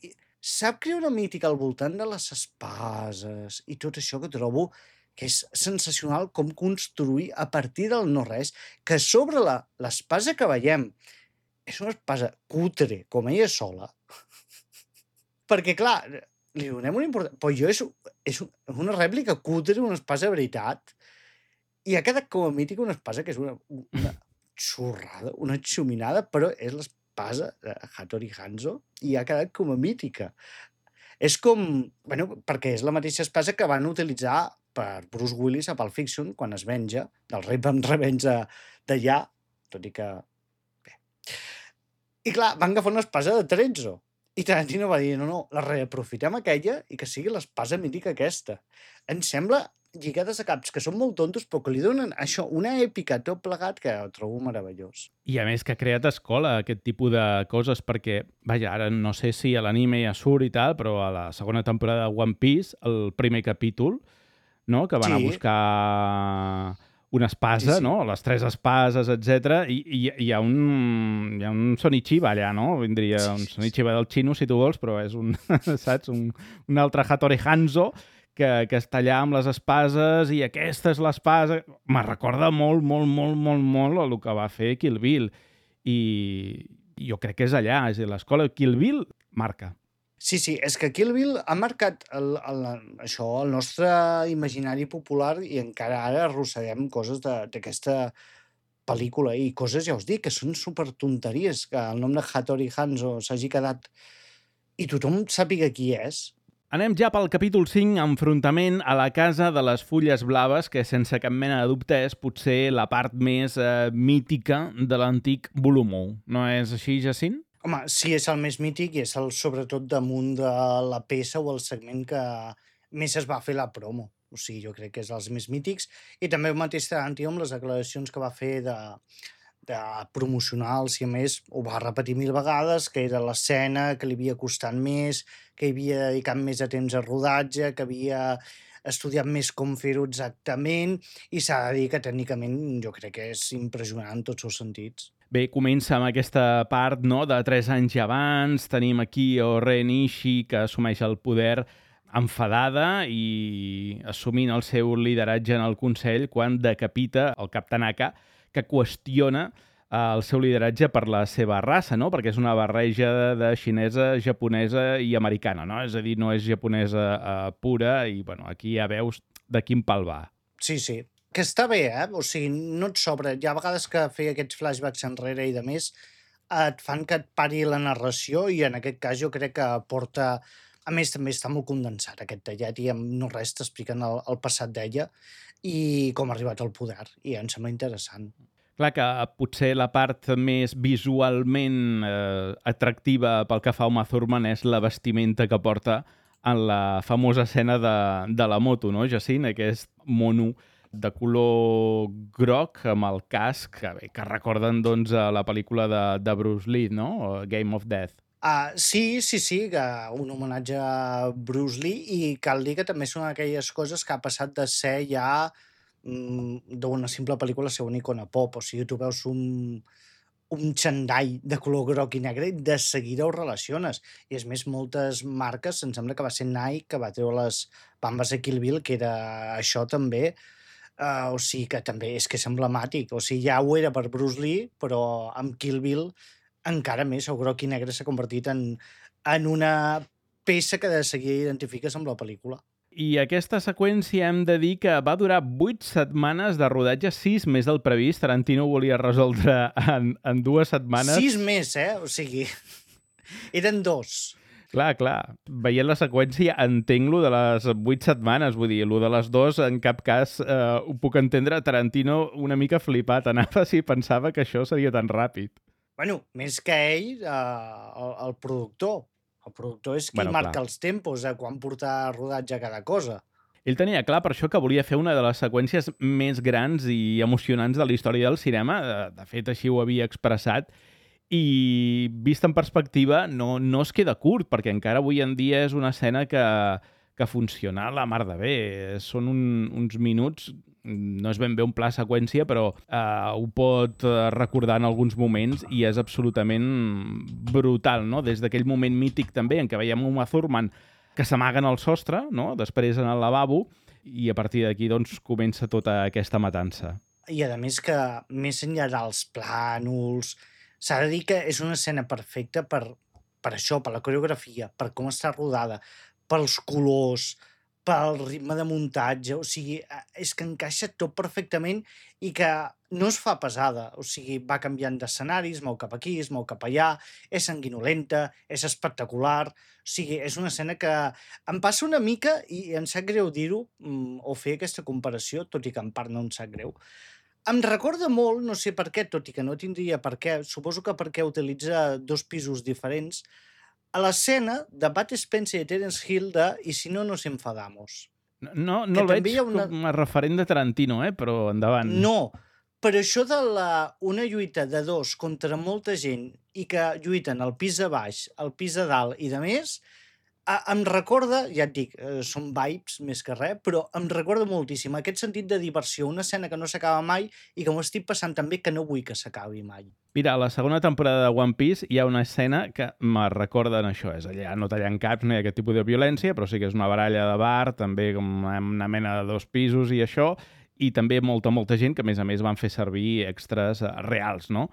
Sap crear una mítica al voltant de les espases i tot això que trobo que és sensacional com construir a partir del no-res, que sobre l'espasa que veiem és una espasa cutre, com ella sola, perquè, clar, li donem una importància... Però és una rèplica cutre, una espasa de veritat, i ha quedat com a mítica una espasa que és una xorrada, una xuminada, però és l'espasa de Hattori Hanzo i ha quedat com a mítica. És com... Bueno, perquè és la mateixa espasa que van utilitzar per Bruce Willis a Pulp Fiction quan es venja del rei amb revenja d'allà, tot i que... Bé. I clar, van agafar una espasa de Trezzo. I Tarantino va dir, no, la reaprofitem aquella i que sigui l'espasa mítica aquesta. Em sembla lligades a caps que són molt tontos, però que li donen això, una èpica tot plegat que ho trobo meravellós. I a més que ha creat escola aquest tipus de coses, perquè, vaja, ara no sé si a l'anime ja surt i tal, però a la segona temporada de One Piece, el primer capítol, no?, que van a buscar una espasa, Sí, sí. no? Les 3 espases, etc. I hi ha un Sonichiba allà, no? Vindria un Sonichiba del xino, si tu vols, però és un, saps? Un altre Hattori Hanzo que està allà amb les espases i aquesta és l'espasa. Me recorda molt el que va fer Kill Bill. I jo crec que és allà, és a dir, l'escola Kill Bill marca. Sí, és que Kill Bill ha marcat això, el nostre imaginari popular i encara ara arrosseguem coses d'aquesta pel·lícula i coses, ja us dic, que són supertonteries, que el nom de Hattori Hanzo s'hagi quedat i tothom sàpiga qui és. Anem ja pel capítol 5, enfrontament a la casa de les fulles blaves, que sense cap mena de dubte és potser la part més mítica de l'antic volum 1. No és així, Jacint? Home, sí, és el més mític i és sobretot damunt de la peça o el segment que més es va fer la promo. O sigui, jo crec que és els més mítics. I també el mateix Tarantino amb les declaracions que va fer de promocionar el siamès, ho va repetir 1000 vegades, que era l'escena que li havia costat més, que hi havia dedicat més de temps a rodatge, que havia estudiat més com fer-ho exactament, i s'ha de dir que tècnicament jo crec que és impressionant en tots els sentits. Bé, comença amb aquesta part, no?, de 3 anys abans. Tenim aquí Ren Ishii, que assumeix el poder enfadada i assumint el seu lideratge en el Consell quan decapita el cap Tanaka, que qüestiona el seu lideratge per la seva raça, no?, perquè és una barreja de xinesa, japonesa i americana, no? És a dir, no és japonesa pura i, bueno, aquí ja veus de quin pal va. Sí, que està bé, o sigui, no et sobra. Hi ha vegades que fer aquests flashbacks enrere i de més et fan que et pari la narració i en aquest cas jo crec que porta... A més, també està molt condensat aquest tallat i no res t'expliquen el passat d'ella i com ha arribat al poder, i em sembla interessant. Clar que potser la part més visualment atractiva pel que fa a Uma Thurman és la vestimenta que porta en la famosa escena de la moto, no, Jacint? Aquest mono de color groc amb el casc, que recorden doncs, la pel·lícula de Bruce Lee, no? Game of Death. Sí, que un homenatge a Bruce Lee, i cal dir que també són aquelles coses que ha passat de ser ja d'una simple pel·lícula a ser una icona pop. O sigui, tu veus un xandall de color groc i negre i de seguida ho relaciones. I és més, moltes marques, em sembla que va ser Nike, que va treure les bambes de Kill Bill, que era això també. O sigui que també és que és emblemàtic. O sigui, ja ho era per Bruce Lee, però amb Kill Bill encara més, el groc i negre s'ha convertit en una peça que de seguida identifiques amb la pel·lícula. I aquesta seqüència hem de dir que va durar 8 setmanes de rodatge, 6 més del previst. Tarantino ho volia resoldre en 2 setmanes. 6 més, O sigui, eren 2. Clar. Veient la seqüència entenc lo de les 8 setmanes, vull dir, lo de les 2 en cap cas ho puc entendre. Tarantino una mica flipat anava si pensava que això seria tan ràpid. Bueno, més que ell, el productor. El productor és qui marca els tempos de quan portar rodatge a cada cosa. Ell tenia clar per això que volia fer una de les seqüències més grans i emocionants de la història del cinema. De fet, així ho havia expressat. I vist en perspectiva no es queda curt, perquè encara avui en dia és una escena que funciona la mar de bé. Són uns minuts, no és ben bé un pla seqüència, però ho pot recordar en alguns moments i és absolutament brutal, no? Des d'aquell moment mític també en què veiem Uma Thurman que s'amaga en el sostre, no? Després en el lavabo, i a partir d'aquí doncs, comença tota aquesta matança. I a més que, més enllà dels plànols, s'ha de dir que és una escena perfecta per això, per la coreografia, per com està rodada, pels colors, pel ritme de muntatge. O sigui, és que encaixa tot perfectament i que no es fa pesada. O sigui, va canviant d'escenaris, mou cap aquí, es mou cap allà, és sanguinolenta, és espectacular. O sigui, és una escena que em passa una mica, i em sap greu dir-ho, o fer aquesta comparació, tot i que en part no em sap greu. Em recorda molt, no sé per què, tot i que no tindria per què, suposo que perquè utilitza 2 pisos diferents, a l'escena de Bud Spencer i Terence Hill de «I si no nos enfadamos». No el veig com a referent de Tarantino, però endavant. No, però això de una lluita de 2 contra molta gent i que lluiten al pis de baix, al pis de dalt i de més, Em recorda, ja et dic, són vibes més que res, però em recorda moltíssim aquest sentit de diversió, una escena que no s'acaba mai i que m'ho estic passant tan bé que no vull que s'acabi mai. Mira, a la segona temporada de One Piece hi ha una escena que me recorda en això. És allà, no tallant caps, no hi ha aquest tipus de violència, però sí que és una baralla de bar, també com una mena de 2 pisos i això, i també molta gent que, a més, van fer servir extras reals, no?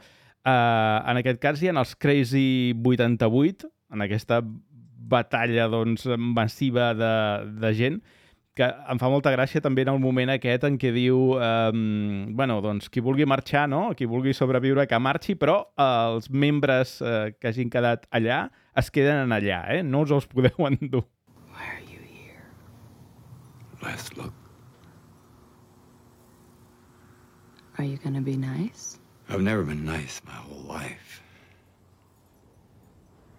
En aquest cas hi ha els Crazy 88, en aquesta batalla doncs, massiva de gent, que em fa molta gràcia també en el moment aquest en què diu bueno, doncs qui vulgui marxar, no? Qui vulgui sobreviure, que marxi, però els membres que hagin quedat allà es queden allà, no us els podeu endur. Why are you here? Last look. Are you gonna be nice? I've never been nice my whole life.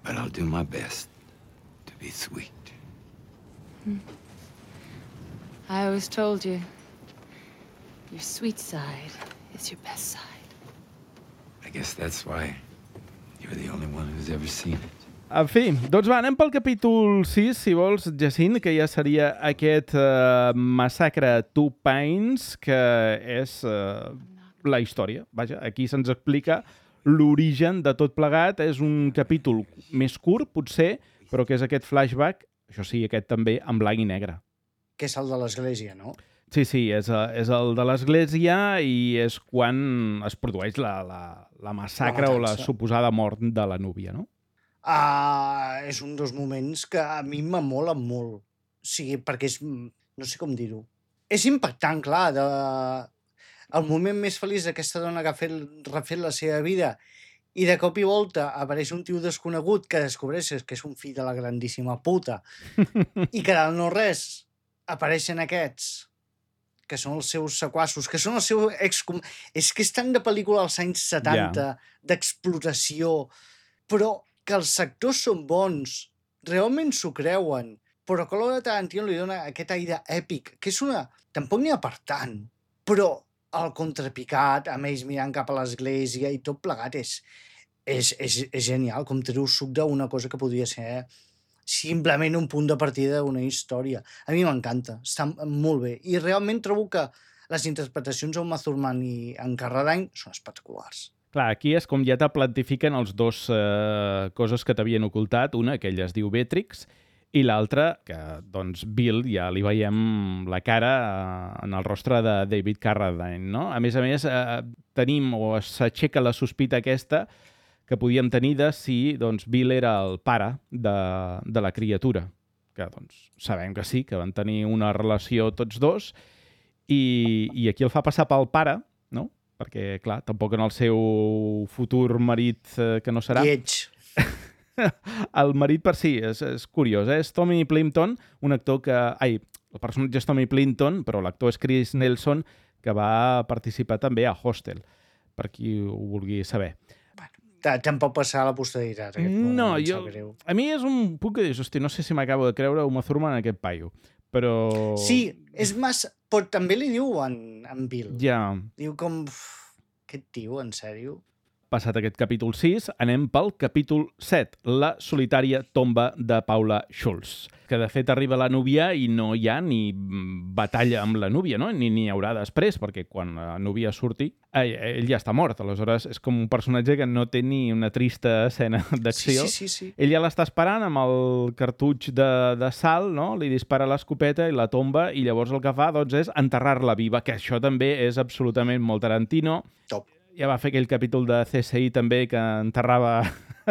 But I'll do my best to be sweet. I always told you, your sweet side is your best side. I guess that's why you're the only one who's ever seen it. En fi, doncs va, anem pel capítol 6, si vols, Jacint, que ja seria aquest massacre Two Pines, que és la història. Vaja, aquí se'ns explica l'origen de tot plegat. És un capítol més curt, potser, però que és aquest flashback, això sí, aquest també en blanc i negre. Que és el de l'església, no? Sí, és el de l'església i és quan es produeix la massacre o la suposada mort de la núvia, no? És un dels moments que a mi m'amola molt. O sigui, perquè és... No sé com dir-ho. És impactant, clar, el moment més feliç d'aquesta dona que ha refet la seva vida i de cop i volta apareix un tio desconegut que descobreixes que és un fill de la grandíssima puta i que del no res apareixen aquests que són els seus sequassos, que són el seu És que és tant de pel·lícula als anys 70, d'explotació, però que els actors són bons, realment s'ho creuen, però que l'hora de Tarantino li dona aquest aire èpic, que és una... Tampoc n'hi ha per tant, però el contrapicat, amb ells mirant cap a l'església i tot plegat és genial, com treu suc d'una cosa que podria ser simplement un punt de partida d'una història. A mi m'encanta, està molt bé. I realment trobo que les interpretacions d'Uma Thurman i en Carradine són espectaculars. Clar, aquí és com ja te plantifiquen els dos coses que t'havien ocultat. Una, que ella es diu Beatrix, i l'altra, que doncs Bill ja li veiem la cara en el rostre de David Carradine, no? A més, tenim o s'aixeca la sospita aquesta que podíem tenir de si doncs, Bill era el pare de la criatura, que doncs, sabem que sí, que van tenir una relació tots dos, i aquí el fa passar pel pare, no? Perquè, clar, tampoc en el seu futur marit, que no serà... Lleig. El marit per si, és curiós, És Tommy Plimpton, un actor que... el personatge és Tommy Plimpton, però l'actor és Chris Nelson, que va participar també a Hostel, per qui ho vulgui saber. Tampoc passar a la posteritat. No, a mi és un punt que dius, hosti, no sé si m'acabo de creure Uma Thurman en aquest paio, però... Sí, és massa... Però també li diu en Bill. Ja. Diu com... Aquest tio, en sèrio? Passat aquest capítol 6, anem pel capítol 7, la solitària tomba de Paula Schulz, que de fet arriba la núvia i no hi ha ni batalla amb la núvia, no? Ni n'hi haurà després, perquè quan la núvia surti, ell ja està mort. Aleshores, és com un personatge que no té ni una trista escena d'acció. Sí. Ell ja l'està esperant amb el cartutx de sal, no? Li dispara l'escopeta i la tomba, i llavors el que fa doncs, és enterrar-la viva, que això també és absolutament molt Tarantino. Top. Ja va fer aquell capítol de CSI també que enterrava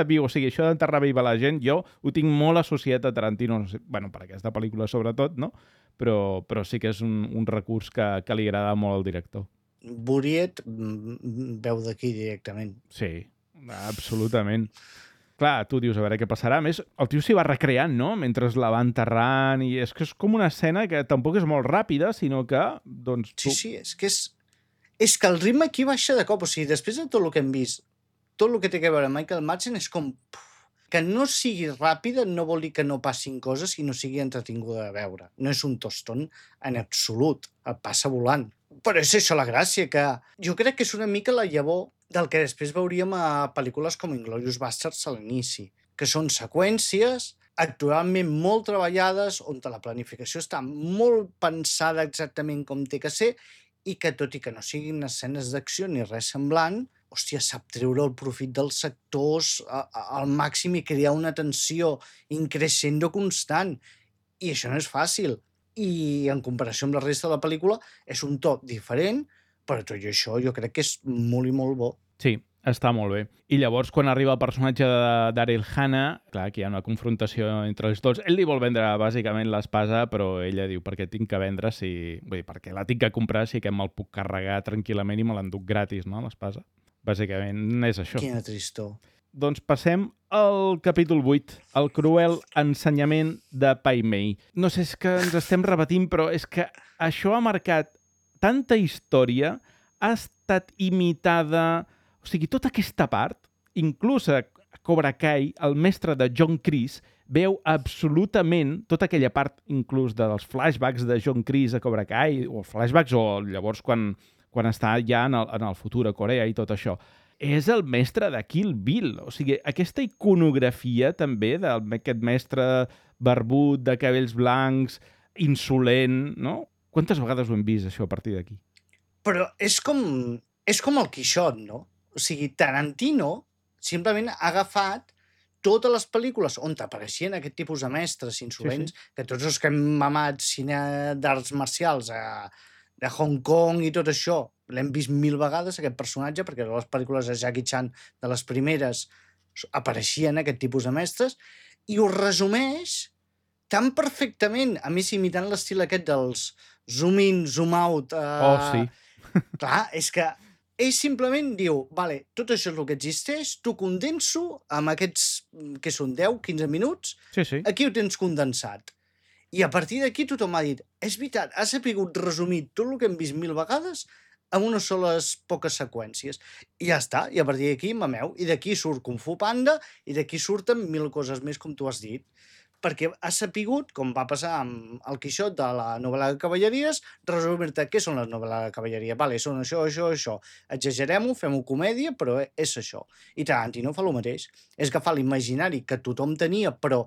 viu. O sigui, això d'enterrar viva la gent, jo ho tinc molt associat a Tarantino, no sé, bueno, per aquesta pel·lícula sobretot, no? Però sí que és un recurs que li agrada molt al director. Buriet veu d'aquí directament. Sí, absolutament. Clar, tu dius, a veure què passarà. A més, el tio s'hi va recreant, no?, mentre la va enterrant, i és que és com una escena que tampoc és molt ràpida, sinó que, doncs... Sí, és que el ritme aquí baixa de cop. O sigui, després de tot el que hem vist, tot el que té a veure amb Michael Madsen és com... Que no sigui ràpida no vol dir que no passin coses i no sigui entretinguda de veure. No és un tostón en absolut. Et passa volant. Però és això la gràcia, que jo crec que és una mica la llavor del que després veuríem a pel·lícules com Inglourious Basterds a l'inici, que són seqüències actualment molt treballades, on la planificació està molt pensada exactament com té que ser i que, tot i que no siguin escenes d'acció ni res semblant, hòstia, sap treure el profit dels sectors al màxim i crear una tensió increixendo constant. I això no és fàcil. I en comparació amb la resta de la pel·lícula és un to diferent, però tot i això jo crec que és molt i molt bo. Sí, està molt bé. I llavors, quan arriba el personatge de Daryl Hannah, clar, que hi ha una confrontació entre els dos, ell li vol vendre bàsicament l'espasa, però ella diu, per què tinc que vendre si... Vull dir, perquè la tinc que comprar si que me'l puc carregar tranquil·lament i me l'enduc gratis, no?, l'espasa. Bàsicament és això. Quina tristor. Doncs passem al capítol 8, el cruel ensenyament de Pai Mei. No sé, és que ens estem repetint, però és que això ha marcat tanta història, ha estat imitada... O sigui, tota aquesta part, inclús a Cobra Kai, el mestre de John Kreese veu absolutament tota aquella part, inclús dels flashbacks de John Kreese a Cobra Kai, o flashbacks, o llavors quan està ja en el futur a Corea i tot això. És el mestre de Kill Bill. O sigui, aquesta iconografia també d'aquest mestre barbut, de cabells blancs, insolent, no? Quantes vegades ho hem vist, això, a partir d'aquí? Però és com el Quixot, no? O sigui, Tarantino simplement ha agafat totes les pel·lícules on apareixien aquest tipus de mestres insolents, que tots els que hem mamat cine d'arts marcials de Hong Kong i tot això, l'hem vist 1000 vegades, aquest personatge, perquè a les pel·lícules de Jackie Chan, de les primeres, apareixien aquest tipus de mestres, i ho resumeix tan perfectament, a més imitant l'estil aquest dels zoom in, zoom out. Sí. Clar, és que ell simplement diu, vale, tot això és el que existeix, t'ho condenso amb aquests, que són 10-15 minuts, Sí. aquí ho tens condensat. I a partir d'aquí tothom ha dit, és veritat, has sabut resumir tot el que hem vist 1000 vegades amb unes soles poques seqüències. I ja està, i a partir d'aquí mameu, i d'aquí surt Kung Fu Panda, i d'aquí surten 1000 coses més, com tu has dit. Perquè ha sapigut, com va passar amb el Quixot de la novel·la de cavalleries, resumir-te què són les novel·les de cavalleria. Vale, són això. Exagerem-ho, fem-ho comèdia, però és això. I Tarantino fa el mateix. És agafar l'imaginari que tothom tenia, però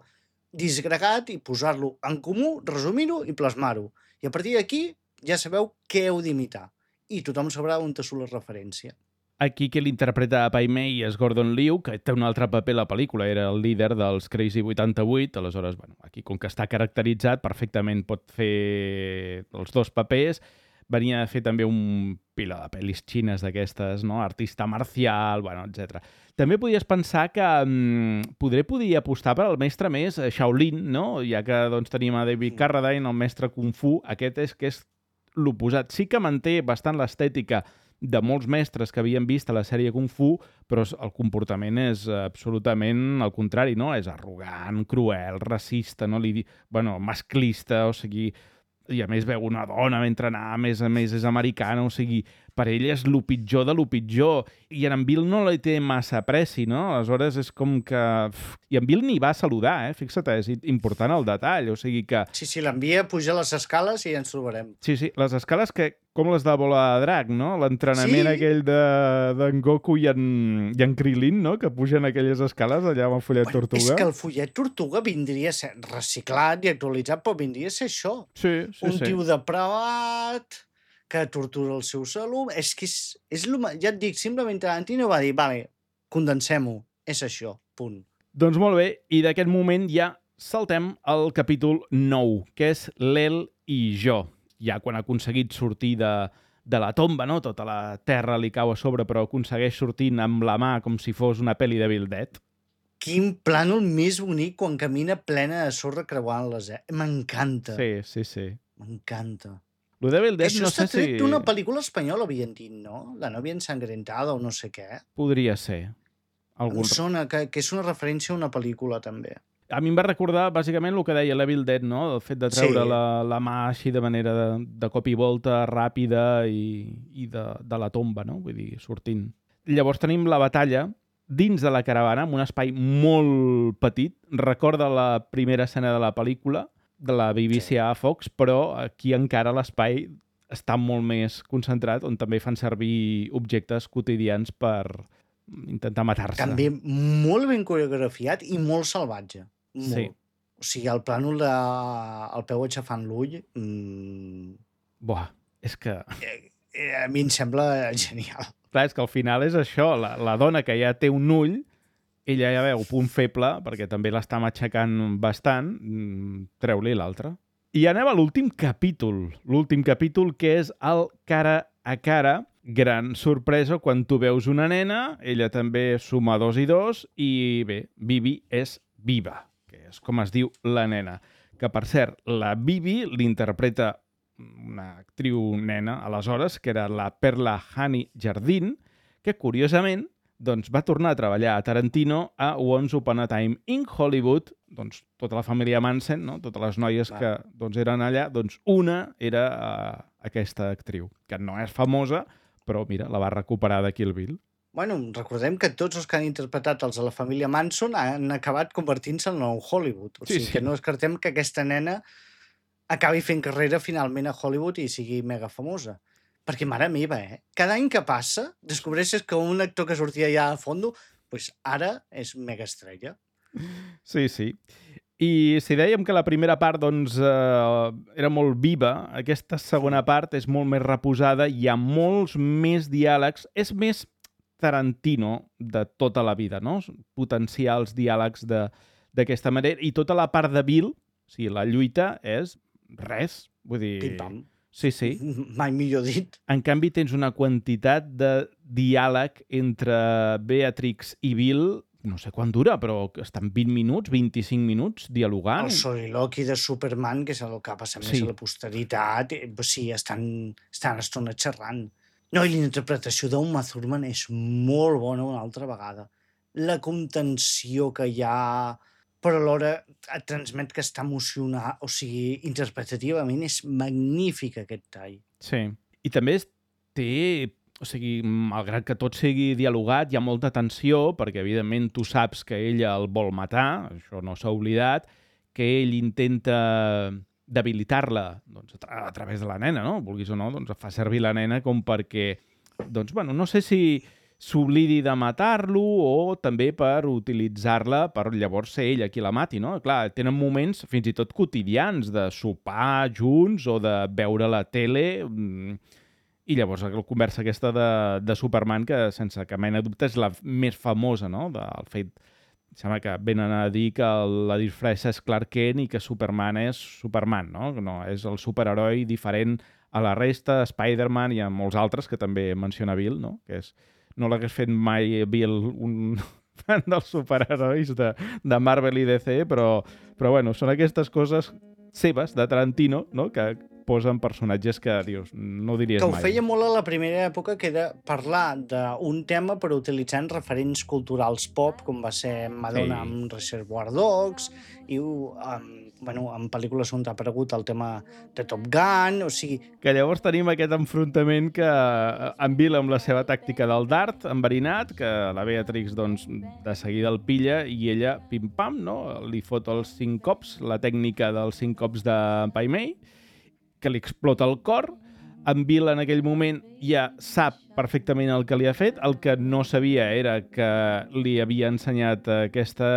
disgregat, i posar-lo en comú, resumir-ho i plasmar-ho. I a partir d'aquí ja sabeu què heu d'imitar. I tothom sabrà on te surt la referència. Aquí qui l'interpreta a Pai Mei és Gordon Liu, que té un altre paper a la pel·lícula, era el líder dels Crazy 88, aleshores, bueno, aquí com que està caracteritzat, perfectament pot fer els dos papers. Venia a fer també un pila de pel·lis xines d'aquestes, no? Artista marcial, bueno, etc. També podies pensar que podria apostar per al mestre més Shaolin, no? Ja que doncs, tenim a David Carradine, el mestre Kung Fu, aquest és que és l'oposat. Sí que manté bastant l'estètica de molts mestres que havien vist a la sèrie Kung Fu, però el comportament és absolutament al contrari, no? És arrogant, cruel, racista, no? Masclista, o sigui... I a més veu una dona mentre anar, a més és americana, o sigui, per ell és lo pitjor de lo pitjor. I en Bill no li té massa apreci, no? Aleshores és com que... I en Bill ni va saludar, fixa't, és important el detall, o sigui que... Sí, l'envia a pujar les escales i ja ens trobarem. Sí, les escales que... Com les de Bola de Drac, no? L'entrenament aquell d'en Goku i en Krilin, no? Que pugen aquelles escales allà amb el fullet tortuga. És que el fullet tortuga vindria a ser reciclat i actualitzat, però vindria a ser això. Sí. Un tio depravat que tortura el seu alumnes. És que és ja et dic, simplement Tarantino va dir, vale, condensem-ho, és això, punt. Doncs molt bé, i d'aquest moment ja saltem al capítol 9, que és l'El i jo. Ja quan ha aconseguit sortir de la tomba, no? Tota la terra li cau a sobre, però aconsegueix sortint amb la mà com si fos una pel·li de Bill Dead. Quin plànol més bonic quan camina plena de sorra creuant-les, M'encanta. Sí. M'encanta. Lo de Bill Dead això no sé si... està tret d'una pel·lícula espanyola, havien dit, no? La novia ensangrentada o no sé què. Podria ser. Em sona que és una referència a una pel·lícula, també. A mi em va recordar, bàsicament, el que deia l'Evil Dead, no? El fet de treure la mà així de manera de cop i volta, ràpida i de la tomba, no? Vull dir, sortint. Llavors tenim la batalla dins de la caravana, en un espai molt petit. Recorda la primera escena de la pel·lícula, de la BBC a Fox, però aquí encara l'espai està molt més concentrat, on també fan servir objectes quotidians per intentar matar-se. També molt ben coreografiat i molt salvatge. Molt. Sí, O sigui, el plànol el peu aixafant l'ull, Buah, és que... a mi em sembla genial. Clar, és que al final és això, la dona que ja té un ull, ella ja veu punt feble, perquè també l'està matxacant bastant, treu-li l'altre. I anem a l'últim capítol que és el cara a cara. Gran sorpresa quan tu veus una nena, ella també suma 2 i 2, i bé, Bibi és viva, que és com es diu la nena. Que, per cert, la Bibi l'interpreta una actriu nena, aleshores, que era la Perla Honey Jardín, que, curiosament, doncs, va tornar a treballar a Tarantino a Once Upon a Time in Hollywood, doncs, tota la família Manson, no? Totes les noies que doncs, eren allà, doncs una era aquesta actriu, que no és famosa, però mira, la va recuperar de Kill Bill. Bueno, recordem que tots els que han interpretat els de la família Manson han acabat convertint-se en el Hollywood. O sigui, que no descartem que aquesta nena acabi fent carrera finalment a Hollywood i sigui mega famosa. Perquè, mare meva, cada any que passa descobreixes que un actor que sortia ja a fondo, doncs ara és mega estrella. Sí, sí. I si dèiem que la primera part doncs, era molt viva, aquesta segona part és molt més reposada, hi ha molts més diàlegs, és més Tarantino de tota la vida, no? Potenciar els diàlegs d'aquesta manera, i tota la part de Bill, o sigui, la lluita és res, vull dir... Pim-pam. Sí, sí. Mai millor dit. En canvi, tens una quantitat de diàleg entre Beatrix i Bill, no sé quan dura, però estan 20 minuts, 25 minuts dialogant. El soliloqui de Superman, que és el que passa més a la posteritat, sí, estan estona xerrant. No, i la interpretació d'Uma Thurman és molt bona una altra vegada. La contenció que hi ha, però alhora et transmet que està emocionat, o sigui, interpretativament és magnífic aquest tall. Sí, i també té... O sigui, malgrat que tot sigui dialogat, hi ha molta tensió, perquè evidentment tu saps que ella el vol matar, això no s'ha oblidat, que ell intenta debilitar-la doncs, a través de la nena, no? Vulguis o no, doncs fa servir la nena com perquè, doncs, bueno, no sé si s'oblidi de matar-lo o també per utilitzar-la per llavors ser ella qui la mati, no? Clar, tenen moments fins i tot quotidians de sopar junts o de veure la tele... I llavors la conversa aquesta de Superman, que sense cap mena de dubte és la més famosa, no? Del fet, sembla que venen a dir que la disfressa és Clark Kent i que Superman és Superman, no? No, és el superheroi diferent a la resta, Spider-Man i a molts altres, que també menciona Bill, no? Que és, no l'hagués fet mai Bill un fan dels superherois de Marvel i DC, però bueno, són aquestes coses seves, de Tarantino, no? Que posen personatges que, dius, no ho diries mai. Que ho feia molt a la primera època, que era parlar d'un tema però utilitzant referents culturals pop, com va ser Madonna amb Reservoir Dogs, i en pel·lícules on ha aparegut el tema de Top Gun, o sigui... Que llavors tenim aquest enfrontament que en Bill amb la seva tàctica del dart enverinat, que la Beatrix doncs, de seguida el pilla i ella, pim-pam, no? Li fot els 5 cops, la tècnica dels 5 cops de Pai Mei, que li explota el cor. En Bill en aquell moment ja sap perfectament el que li ha fet. El que no sabia era que li havia ensenyat aquesta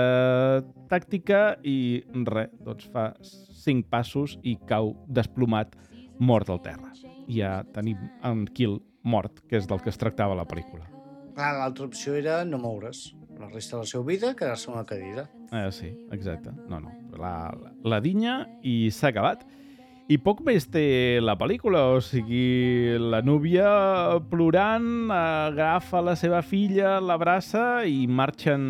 tàctica i res, doncs fa 5 passos i cau desplomat, mort al terra. I ja tenim en Kill mort, que és del que es tractava la pel·lícula. Clar, l'altra opció era no moure's. La resta de la seva vida, quedar-se en una cadira. Sí, exacte. No. La dinya i s'ha acabat. I poc més té la pel·lícula, o sigui, la núvia plorant, agafa la seva filla, l'abraça i marxen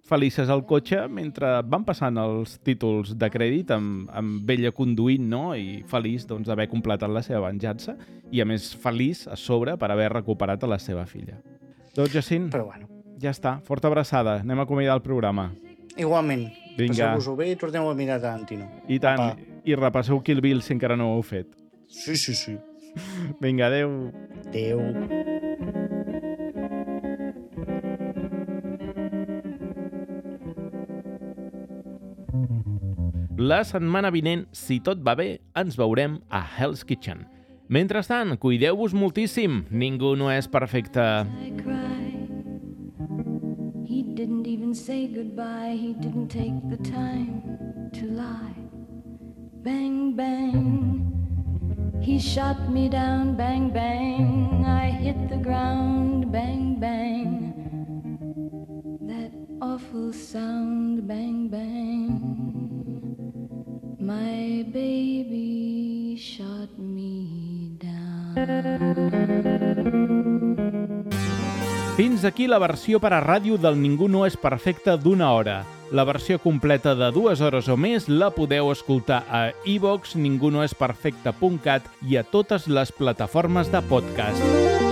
felices al cotxe mentre van passant els títols de crèdit amb ella conduint, no? I feliç doncs, d'haver completat la seva venjança i, a més, feliç a sobre per haver recuperat a la seva filla. Doncs, Jacint, però bueno, ja està. Forta abraçada. Anem a acomiadar el programa. Igualment. Vinga. Passeu-vos-ho bé i torneu a mirar Tarantino. I tant. Apa. I repasseu Kill Bill si encara no ho heu fet. Sí. Vinga, adeu. Adeu. La setmana vinent, si tot va bé, ens veurem a Hell's Kitchen. Mentrestant, cuideu-vos moltíssim. Ningú no és perfecte. He didn't even say goodbye. He didn't take the time. to lie. Bang, bang, he shot me down. Bang, bang, I hit the ground. Bang, bang, that awful sound. Bang, bang, my baby shot me down. Fins aquí la versió per a ràdio del Ningú no és perfecte d'1 hora. La versió completa de 2 hores o més la podeu escoltar a iVoox, ningunoesperfecte.cat i a totes les plataformes de podcast.